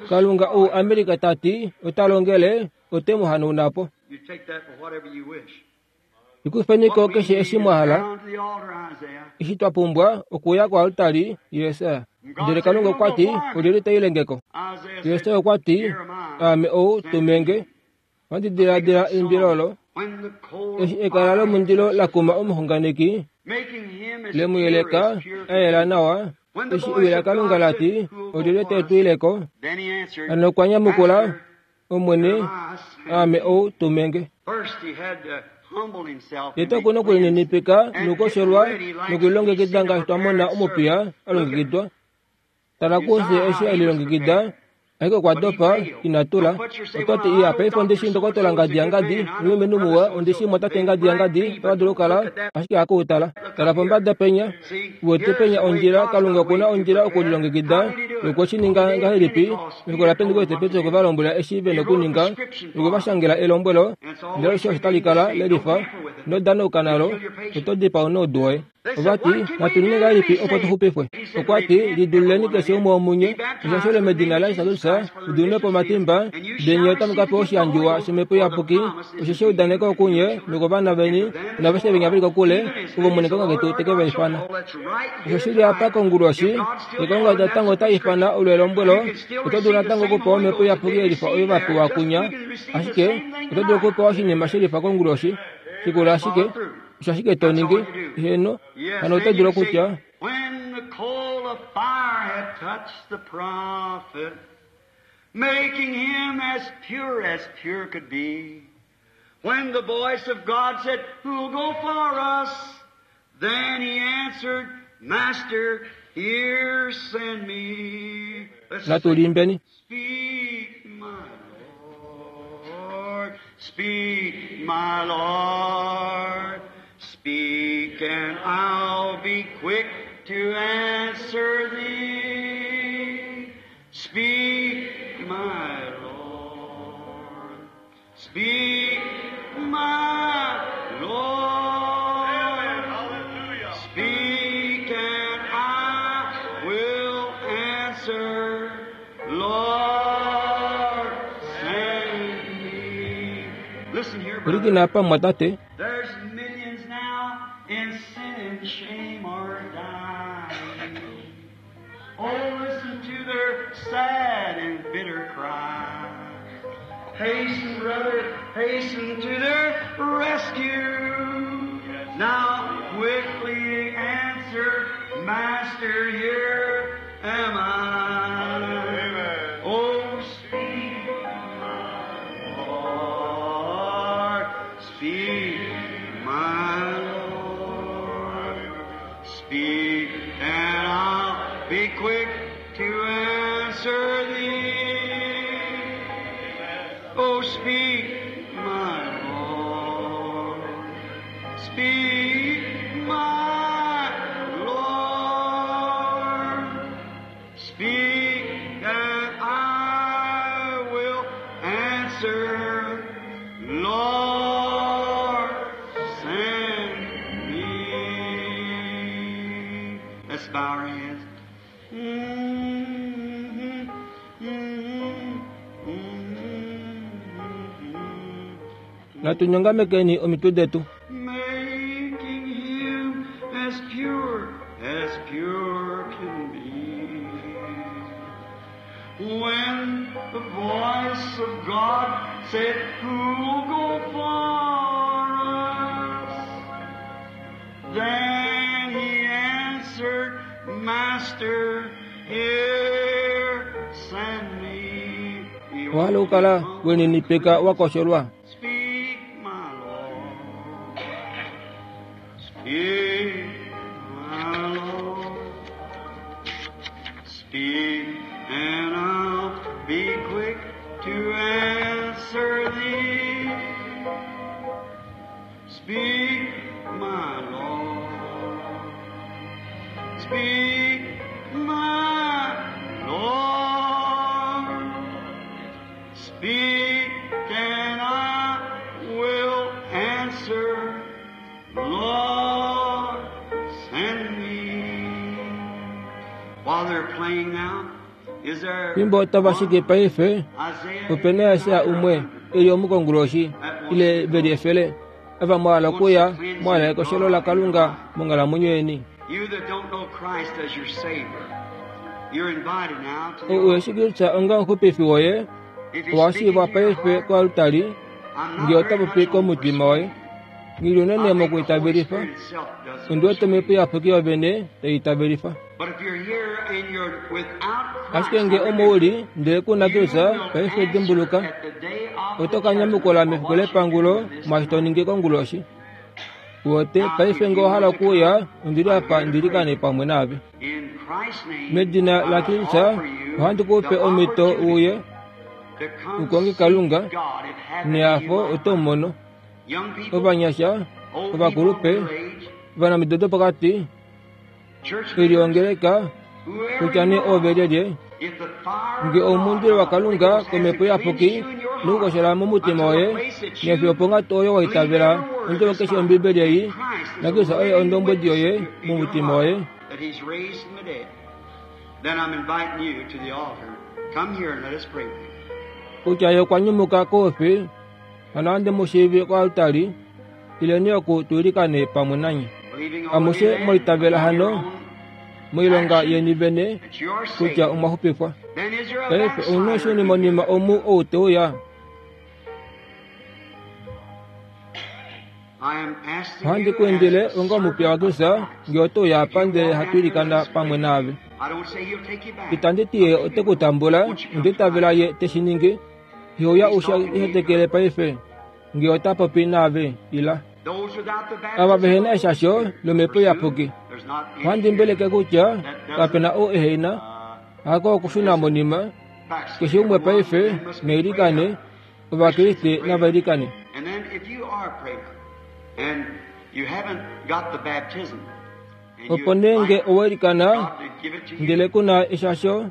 [SPEAKER 1] Kalunga ou Amerika ta ti ota longele, ote mu hanauna po. Likufeni ko keshe eshi mwa hala. Eshi twa pumbwa okuya koaltari, Jesaja. Ndele Kalunga okwa ti, Olyelye ta ile nge ko? Jesaja okwa ti, Aame ou, tume nge. Ohandi diladila eimbilo olo, eshi ekala lomundilo la kuma omuxunganeki, le mu yeleka a yela nawa, eshi ewi laKalunga la ti, Olyelye te tu ile ko? Hano okwa nyamukula, Omwene, aame ou, tume nge. Tete oku na okulininipika nokukosholwa nokulilongekida ngaashi twa mona omupiya a longekidwa. Tala kufye eshi e lilongekida, ashike okwa dopa, ina tula. Oto ti, Iya, paife ondi shii Ndokotola Ngadi yaNgadi, omulumenhu muwa, ondi shii Mwatate Ngadi yaNgadi, otava dulu okukala, ashike haku u tala. Tala pombada penya. Uwete penya ondjila, Kalunga oku na ondjila okulilongekida, nokwe shi ninga ngahelipi? Mefiku laPentekoste Petrus okwe va lombwela eshi ve nokuninga, nokwe va shangela elombwelo, ndele osho osho tali kala le lifa, ino danauka nalo, oto dipaa noudu woye. Ova ti, Natu ninge ngahelipi opo tu xupifwe? Okwa ti, Lidululeni keshe umwe womunye, mushashelwe medina laJesus Kristus, mu diminwe po omatimba, ndele nye otamu ka pewa oshiyandjiwa shOmhepo Iyapuki, osheshi eudaneko okunye nokovana veni naaveshe venya ve li kokule, ovo Omwene Kalunga ketu te ke va ifana. Osho shi li apa konguloshi, ye Kalunga natango ota ifana olo elombwelo, oto dulu natango okupewa Omhepo Iyapuki yelifa oyo va pewa kunya, ashike oto dulu okupewa oshinima shelifa konguloshi. Shikula ashike, osho ashike to ningi. Heeno, hano oto dulu okutya,
[SPEAKER 2] When the coal of fire had touched the prophet, making him as pure as pure could be, when the voice of God said, Who'll go for us? Then he answered, Master, here send me. Let's
[SPEAKER 1] Natu liimbeni.
[SPEAKER 2] Speak, my Lord. Speak, my Lord. Speak, and I'll be quick to answer thee. Speak, my Lord. Speak, my Lord. Speak, and I will answer. Lord, send me. Listen here, brother.
[SPEAKER 1] Pwilikina apa, mumwatate.
[SPEAKER 2] There's millions now in sin and shame are dying. Oh, listen to their sad and bitter cry. Hasten, brother, hasten to their rescue. Now quickly answer, Master, here am I. Oh, speak, my Lord, speak, my Lord. Speak, and I'll be quick to answer thee. Oh, speak, my Lord. Speak, my Lord. Speak, and I will answer. Lord, send me. Let's bow our heads. Mm-hmm, mm-hmm, mm-hmm.
[SPEAKER 1] Natu nyongamekeni omitwe detu.
[SPEAKER 2] Making him as pure as pure can be. When the voice of God said, Who'll go for us? Then he answered, Master, here send me.
[SPEAKER 1] Owa hala okukala we ninipika wa kosholwa?
[SPEAKER 2] Speak, my Lord. Speak, my Lord. Speak, and I'll be quick to answer thee. Speak, my Lord. Speak, my Lord. Speak, and I will answer. Lord, send me. While they're playing now, is there
[SPEAKER 1] Fimbo tava shiki paife,
[SPEAKER 2] Isaiah
[SPEAKER 1] ope na Jesaja umwe e li omukonguloshi, ile ve li efele. Ava mwa hala okuuya mwa hala ekoshelo laKalunga monghalamwenyo yeni. Ou uheshi Kristus onga omuxupifi woye, owa shiivwa paife koaltari nge ota popi komutima woye. Nghi unene mokwiitavelifa, ondi wete Omhepo Iyapuki yovene tai itavelifa. Ashike nge omo u li ndele ku na Kristus, paife dimbuluka, oto ka nyamukula mefiku lepangulo mwaashi to ningi konguloshi. Uwete, paife nge owa hala okuuya, ondi li apa ndi ilikane pamwe naave. Medina laKristus, ohandi ku pe omhito u uye u konge Kalunga, nehafo oto mu mono. Ovanyasha, ovakulupe, ovanamido dopokati, eliongeleka kutya nee ove lyelye nge omundilo wakalunga komhepo iyapuki nokukoshola momutima woye nefiyo ponghatu oyo wa itavela ondjovo keshe ombibeli ei nakristus oye ondombwedi yoye momutima woye. Kutya ye okwa nyumuka koufi hano ohandi mu shiivi koaltari Ileni oku tu ilikane pamwe nanye. Amushe mwa itavela hano moilonga yeni vene kutya omwa xupifwa. Paife omunhu oshunimonima omu ou te uya. Ohandi ku indile onga omupiya waKristus nge oto uya apa ndele hatu ilikana pamwe naave. Itandi ti ye ote ku tambula, onda itavela ye te shi ningi. Ihouya u shi hetekele paife. Nge ota popi naave, ila. Ava vehe na eshasho lOmhepo Iyapuki, ohandi mbeleke kutya kape na ou ehe na, hako okushuna monima. Keshe umwe paife na ilikane, Ovakriste nava ilikane. Opo nee nge owa ilikana ndele ku na eshasho,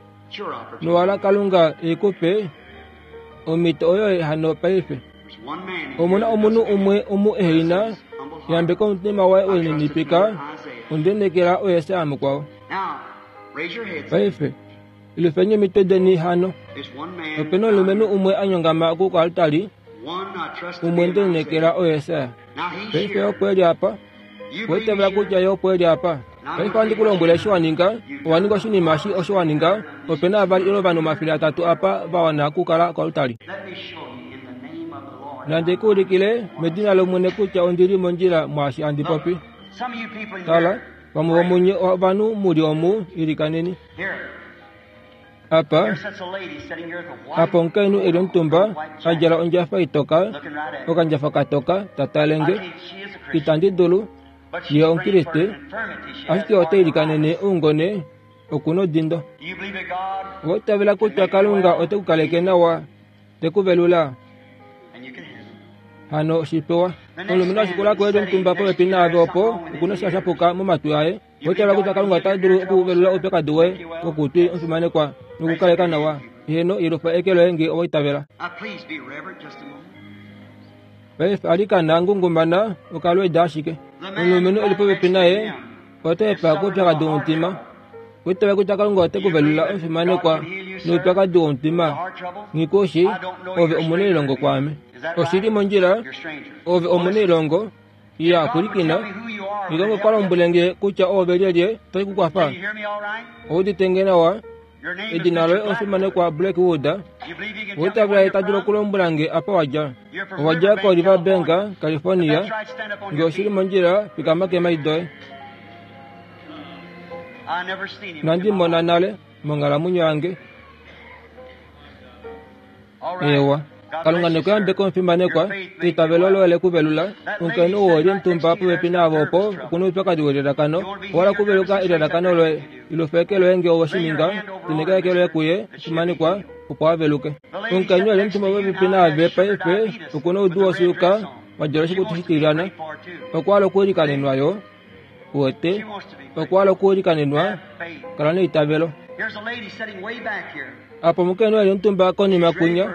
[SPEAKER 1] nowa hala Kalunga e ku pe, Omhito oyoye hano paife. Omu na omunhu umwe omu ehe na yambeka omutima waye we lininipika, onde lineekela oye Sam mukwao. Paife, ilufeni omitwe deni hano. Ope na omulumenhu umwe a nyongama oku koaltari, umwe nde lineekela oye Sam. Paife opo e li apa. Owa itavela kutya ye opo e li apa? Paife ohandi ku lombwele eshi wa ninga. Owa ninga oshinima eshi osho wa ninga. Ope na vali ile ovanhu 300 apa va wana okukala koaltari. Nandi ku ulikile medina lOmwene kutya ondi li mondjila mwaashi handi popi. Tala, vamwe vomunye ovanhu mu li omu, ilikaneni. Apa, apa omukainhu e li omutumba, a djala ondjafa itoka, okandjafa katoka, ta tale nge. Itandi dulu. Ye Omukriste, ashike ota ilikanene oungone, oku nodindo. Owa itavela kutya Kalunga ote ku kaleke nawa, te ku velula? Hano oshipewa. Omulumenhu a shikula ko e li omutumba popepi naave opo, oku na sha shapuka momatwi aye. Oitavela kutya Kalunga ota dulu okuvelula oupyakadi woye wokutwi omufimanekwa nokukaleka nawa. Heeno, yelufa eke loye nge owa itavela. Paife alikana ngungumana okalweeda ashike. Omulumenhu e li popepi naye ota hepa koupyakadi womutima. Oitavela kutya Kalunga ote ku velula omufimanekwa noupyakadi womutima. Nghikushi, ove omunailongo kwaame. Oshi li mondjila, ove omunailongo. Ya pwilikina, Kalunga okwa lombwele nge kutya oove lyelye tai ku kwafa. Ou udite nge nawa? Edina loye omufimanekwa Blackwood. Oitavela ye ta dulu okulombwela nge apa wa dja. Owa dja koRiverbank, California. Nge oshi li mondjila, fikama keemhadi doye. Inandi mona nale monghalamwenyo yange. Eewa. Kalunga ne ku yambeke omufimanekwa, eitavelo loye le ku velula. Omukainhu ou oli omutumba popepi naave opo, oku na oupyakadi welelakano. Owa hala okuveluka elelakano loye. Ilufa eke loye nge owe shi ninga. Tenheka eke loye kuye, omufimanekwa, opo a veluke. Omukainhu eli omutumba popepi naave paife, oku na oudu wosuuka, wa djala oshikutu shitilyana. Okwa hala okuilikanenwa yo. Uwete, okwa hala okuilikanenwa. Kala neitavelo. Apa omukainhu e li omutumba konima kwinya,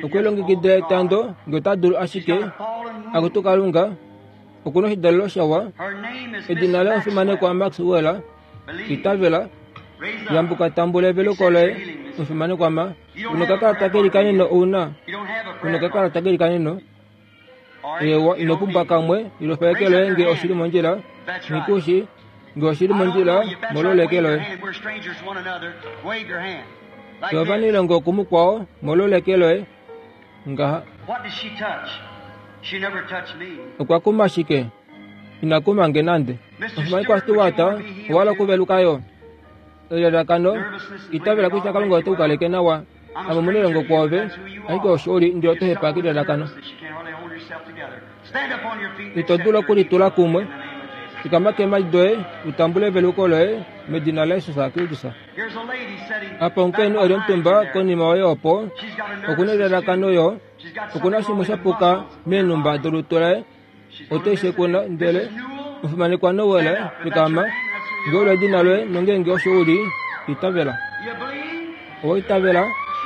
[SPEAKER 1] okwe lilongekidila etando, nge ota dulu ashike, Akutu Kalunga, oku na oshidalelo shawa. Edina laye omufimanekwa Maxwell. Itavela. Yambuka tambula eveluko loye, omufimanekwa Ma. Unokakalata kelikaneno ou na? Unokakalata kelikaneno? Eewa, ino pumbwa kamwe ilofa eke loye nge oshili mondjila. Nikushi nge oshili mondjila mololo eke loye. Tovanilongo kumukwao mololo eke loye ngaha. Okwa kuma shike? Ina kuma nge nande. Ofumanekwa Stewart owala okuveluka yo. Elalakano itavela kutya Kalunga ote ku kaleke nawa. Ame omunelongo kwoove, ashike osho u li ndele oto hepa kelalakano. Ito dulu okulitula kumwe. Fikama keemhadi doye u tambule eveluko loye medina laJesus Kristus. Apa omukainhu e li omutumba konima yoye opo, oku na elalakano yo. Oku na shimwe sha puka meenhumba dolutu laye. Oto i shekuna ndele omufimanekwa Noel, fikama. Nge olo edina loye nongeenge osho u li, itavela. Owa itavela?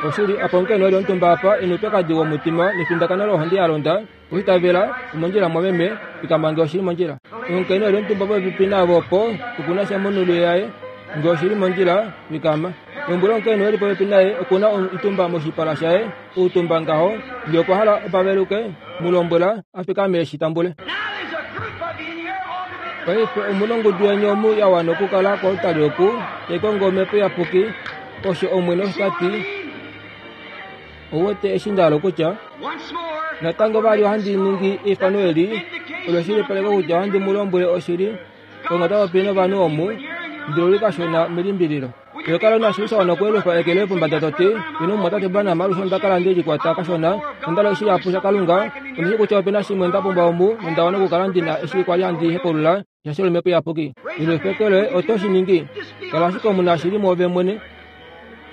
[SPEAKER 1] Oshili, apa omukainhu e li omutumba apa e noupyakadi womutima nefindakano lohonde ya londa. Owa itavela? Omondjila mwameme, fikama nge oshi li mondjila. Omukainhu e li omutumba popepi naave opo, oku na sha monhulu yaye. Nge oshi li mondjila, fikama. Lombwela omukainhu e li popepi naye oku na oitumba moshipala shaye, outumba ngaho. Nge okwa hala opa veluke, mu lombwela a fikame e shi tambule. Paife omu na ongudu yeni omu ya wana okukala koaltari oku, tai kongo Omhepo Iyapuki, osho Omwene osho ta ti. Ou wete eshi nda hala okutya? Natango vali ohandi ningi eifano eli, olo eshilipaleko kutya ohandi mu lombwele oshili, Kalunga ota popi novanhu omu, ndele ou li kashona melimbililo. Iho kala una shili sha wana okuyelufa eke loye pombada to ti, Ino mumwatate Branham, alushe onda kala nde likwata kashona, onda hala oshihapu shaKalunga. Ondi shii kutya ope na shimwe nda pumbwa omu, nonda wana okukala ndi na eshi kwa li handi hepaulula sha shOmhepo Iyapuki. Yelufa eke loye, oto shi ningi? Kala ashike omunashili mwoove mwene.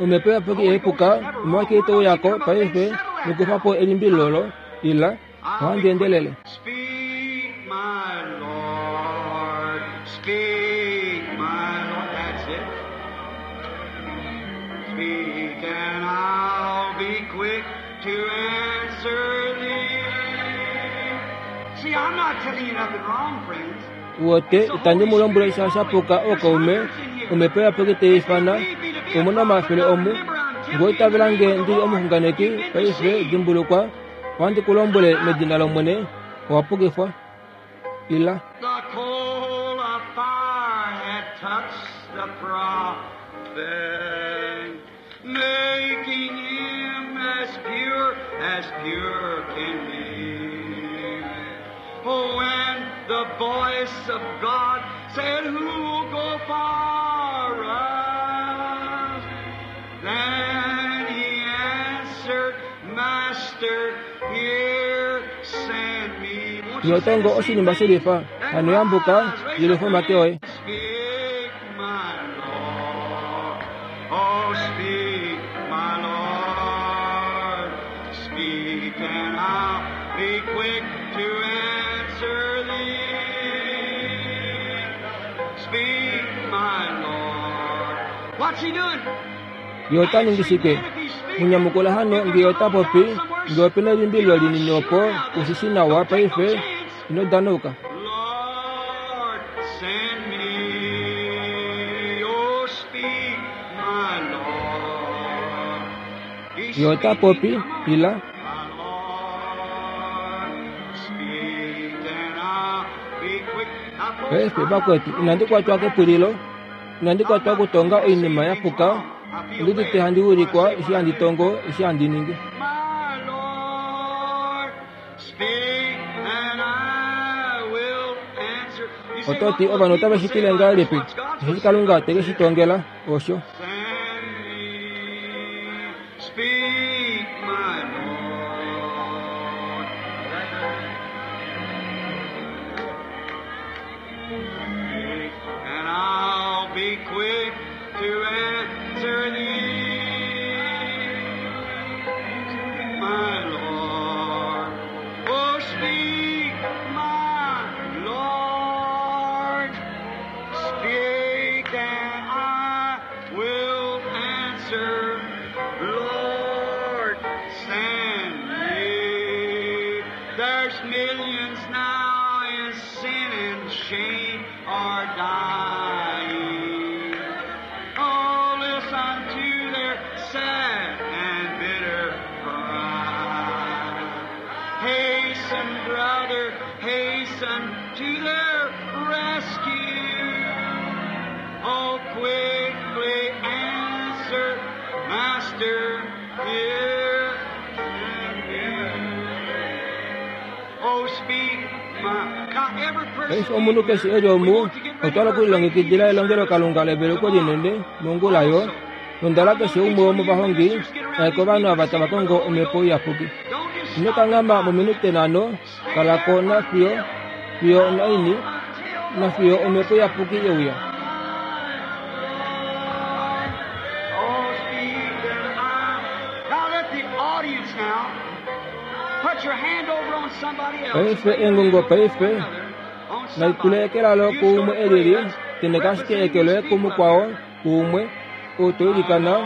[SPEAKER 1] Omhepo Iyapuki ihai puka, omolwashike ito uya ko paife nokufa po elimbililo olo? Ila. Ohandi endelele.
[SPEAKER 2] Speak, my Lord. Speak, my Lord. That's it. Speak, and I'll be quick to answer thee. See, I'm not telling you nothing wrong, friends.
[SPEAKER 1] Wote itandi mu lombwele sha sha puka ookaume, omhepo iyapuki tai ifana, omu na omafele omu. Ngee owa itavela nge ndi li omuxunganeki, paife dimbulukwa, Ohandi ku lombwele medina lOmwene, owa pukifwa. Ila.
[SPEAKER 2] The coal of fire had touched the prophet, making him as pure as pure can be. Oh, when the voice of God said, Who'll go for us? Then he answered, Master, here send me. Won't you say
[SPEAKER 1] Yotongo
[SPEAKER 2] the same
[SPEAKER 1] oshinima
[SPEAKER 2] thing?
[SPEAKER 1] shelifa,
[SPEAKER 2] Then
[SPEAKER 1] hano yambuka,
[SPEAKER 2] rise, raise
[SPEAKER 1] yelufa
[SPEAKER 2] your
[SPEAKER 1] omake oye.
[SPEAKER 2] Speak, my Lord. Oh, speak, my Lord. Speak, and I'll be quick to answer thee. Speak, my Lord. What's he doing?
[SPEAKER 1] Ye ota ningi shike? Mu nyamukula hano nge ye ota popi, nge ope na elimbililo linini opo u shi shii nawa paife, ino danauka.
[SPEAKER 2] Lord, send me. Oh, speak, my Lord. He's
[SPEAKER 1] Ye ota
[SPEAKER 2] speaking.
[SPEAKER 1] popi,
[SPEAKER 2] Come on.
[SPEAKER 1] ila.
[SPEAKER 2] My Lord, speak and I'll be quick. Now, folks,
[SPEAKER 1] Paife,
[SPEAKER 2] I'm not
[SPEAKER 1] vakwetu, inandi
[SPEAKER 2] going to
[SPEAKER 1] kwatwa
[SPEAKER 2] brag.
[SPEAKER 1] kepulilo, inandi
[SPEAKER 2] I'm
[SPEAKER 1] kwatwa
[SPEAKER 2] not
[SPEAKER 1] okutonga
[SPEAKER 2] going to say
[SPEAKER 1] oinima ya
[SPEAKER 2] things
[SPEAKER 1] puka,
[SPEAKER 2] wrong. I feel
[SPEAKER 1] ondi udite
[SPEAKER 2] led
[SPEAKER 1] handi
[SPEAKER 2] when I
[SPEAKER 1] ulikwa
[SPEAKER 2] say
[SPEAKER 1] eshi
[SPEAKER 2] what I
[SPEAKER 1] handi
[SPEAKER 2] do.
[SPEAKER 1] tongo, eshi handi ningi.
[SPEAKER 2] My Lord, speak and I will answer. You say,
[SPEAKER 1] Oto
[SPEAKER 2] what
[SPEAKER 1] ti
[SPEAKER 2] will the
[SPEAKER 1] ovanhu otave
[SPEAKER 2] people
[SPEAKER 1] shi
[SPEAKER 2] say
[SPEAKER 1] tile
[SPEAKER 2] about this?
[SPEAKER 1] ngahelipi?
[SPEAKER 2] What's God
[SPEAKER 1] Osheshi
[SPEAKER 2] supposed to say
[SPEAKER 1] Kalunga
[SPEAKER 2] about
[SPEAKER 1] te ke shi
[SPEAKER 2] this?
[SPEAKER 1] tongela, osho.
[SPEAKER 2] Send me, speak, my Lord. Speak, and I'll be quick to answer thee, my Lord. Oh, speak, my Lord. Speak, and I will answer. Lord, send me. There's millions now in sin and shame are dying. Oh, listen to their sad and bitter cry. Hasten, brother. Hasten to their rescue. Oh, quickly answer, Master, here. Oh, speak, my. Now, every person.
[SPEAKER 1] Paife omunhu keshe eli omu otwa okulilongekidila elongelokalunga leveluko linene mongula yo nondala keshe umwe womovahongi aye kovanhu ava tava kongo omhepo iyapuki.
[SPEAKER 2] Don't just
[SPEAKER 1] Ino kanghama mominute nhano kalako nafiyo fiyo onaini nafiyo omhepo iyapuki yeuya.
[SPEAKER 2] Oh, speak and I. Now let the audience now put your hand over on somebody else.
[SPEAKER 1] Paife engongo paife
[SPEAKER 2] On somebody.
[SPEAKER 1] naitulekelalo kuumwe elili teneka ashike eke loye kumukwao kuumwe ou toilikana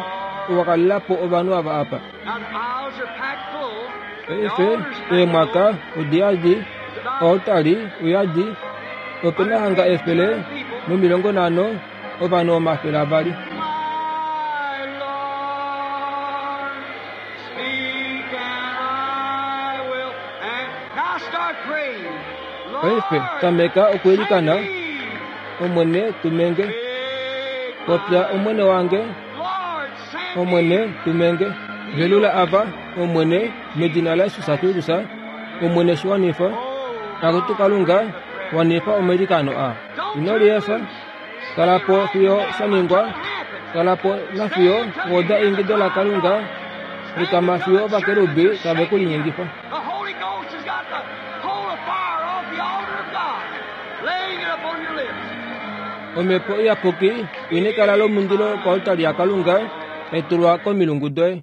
[SPEAKER 1] owakalelapo ovanhu ava apa.
[SPEAKER 2] Now the aisles are packed full. The
[SPEAKER 1] Paife
[SPEAKER 2] altar's packed
[SPEAKER 1] eemwaka
[SPEAKER 2] full.
[SPEAKER 1] odiyadi oaltari uyadi opena hanga 150 ovanhu 200.
[SPEAKER 2] My Lord, speak and I will. And now start praying.
[SPEAKER 1] Paife
[SPEAKER 2] Lord,
[SPEAKER 1] tameka okuilikana
[SPEAKER 2] send me.
[SPEAKER 1] Omwene tumenge popya Omwene wange
[SPEAKER 2] Lord, send
[SPEAKER 1] Omwene
[SPEAKER 2] me.
[SPEAKER 1] tumenge velula ava Omwene medina laJesus Kristus Omwene shiwanifa
[SPEAKER 2] Oh,
[SPEAKER 1] akutu Kalunga wanifa omailikano aa. Ino liefa kalapo fiyo shaningwa kalapo nafiyo woda eingido laKalunga likama fiyo ovakerubi tave kulinyengifa.
[SPEAKER 2] The Holy Ghost has got the coal of fire off the altar of God, laying it upon your lips.
[SPEAKER 1] Omhepo iyapuki ina ekala lomundilo koaltari yaKalunga tai tulwa komilungu doye.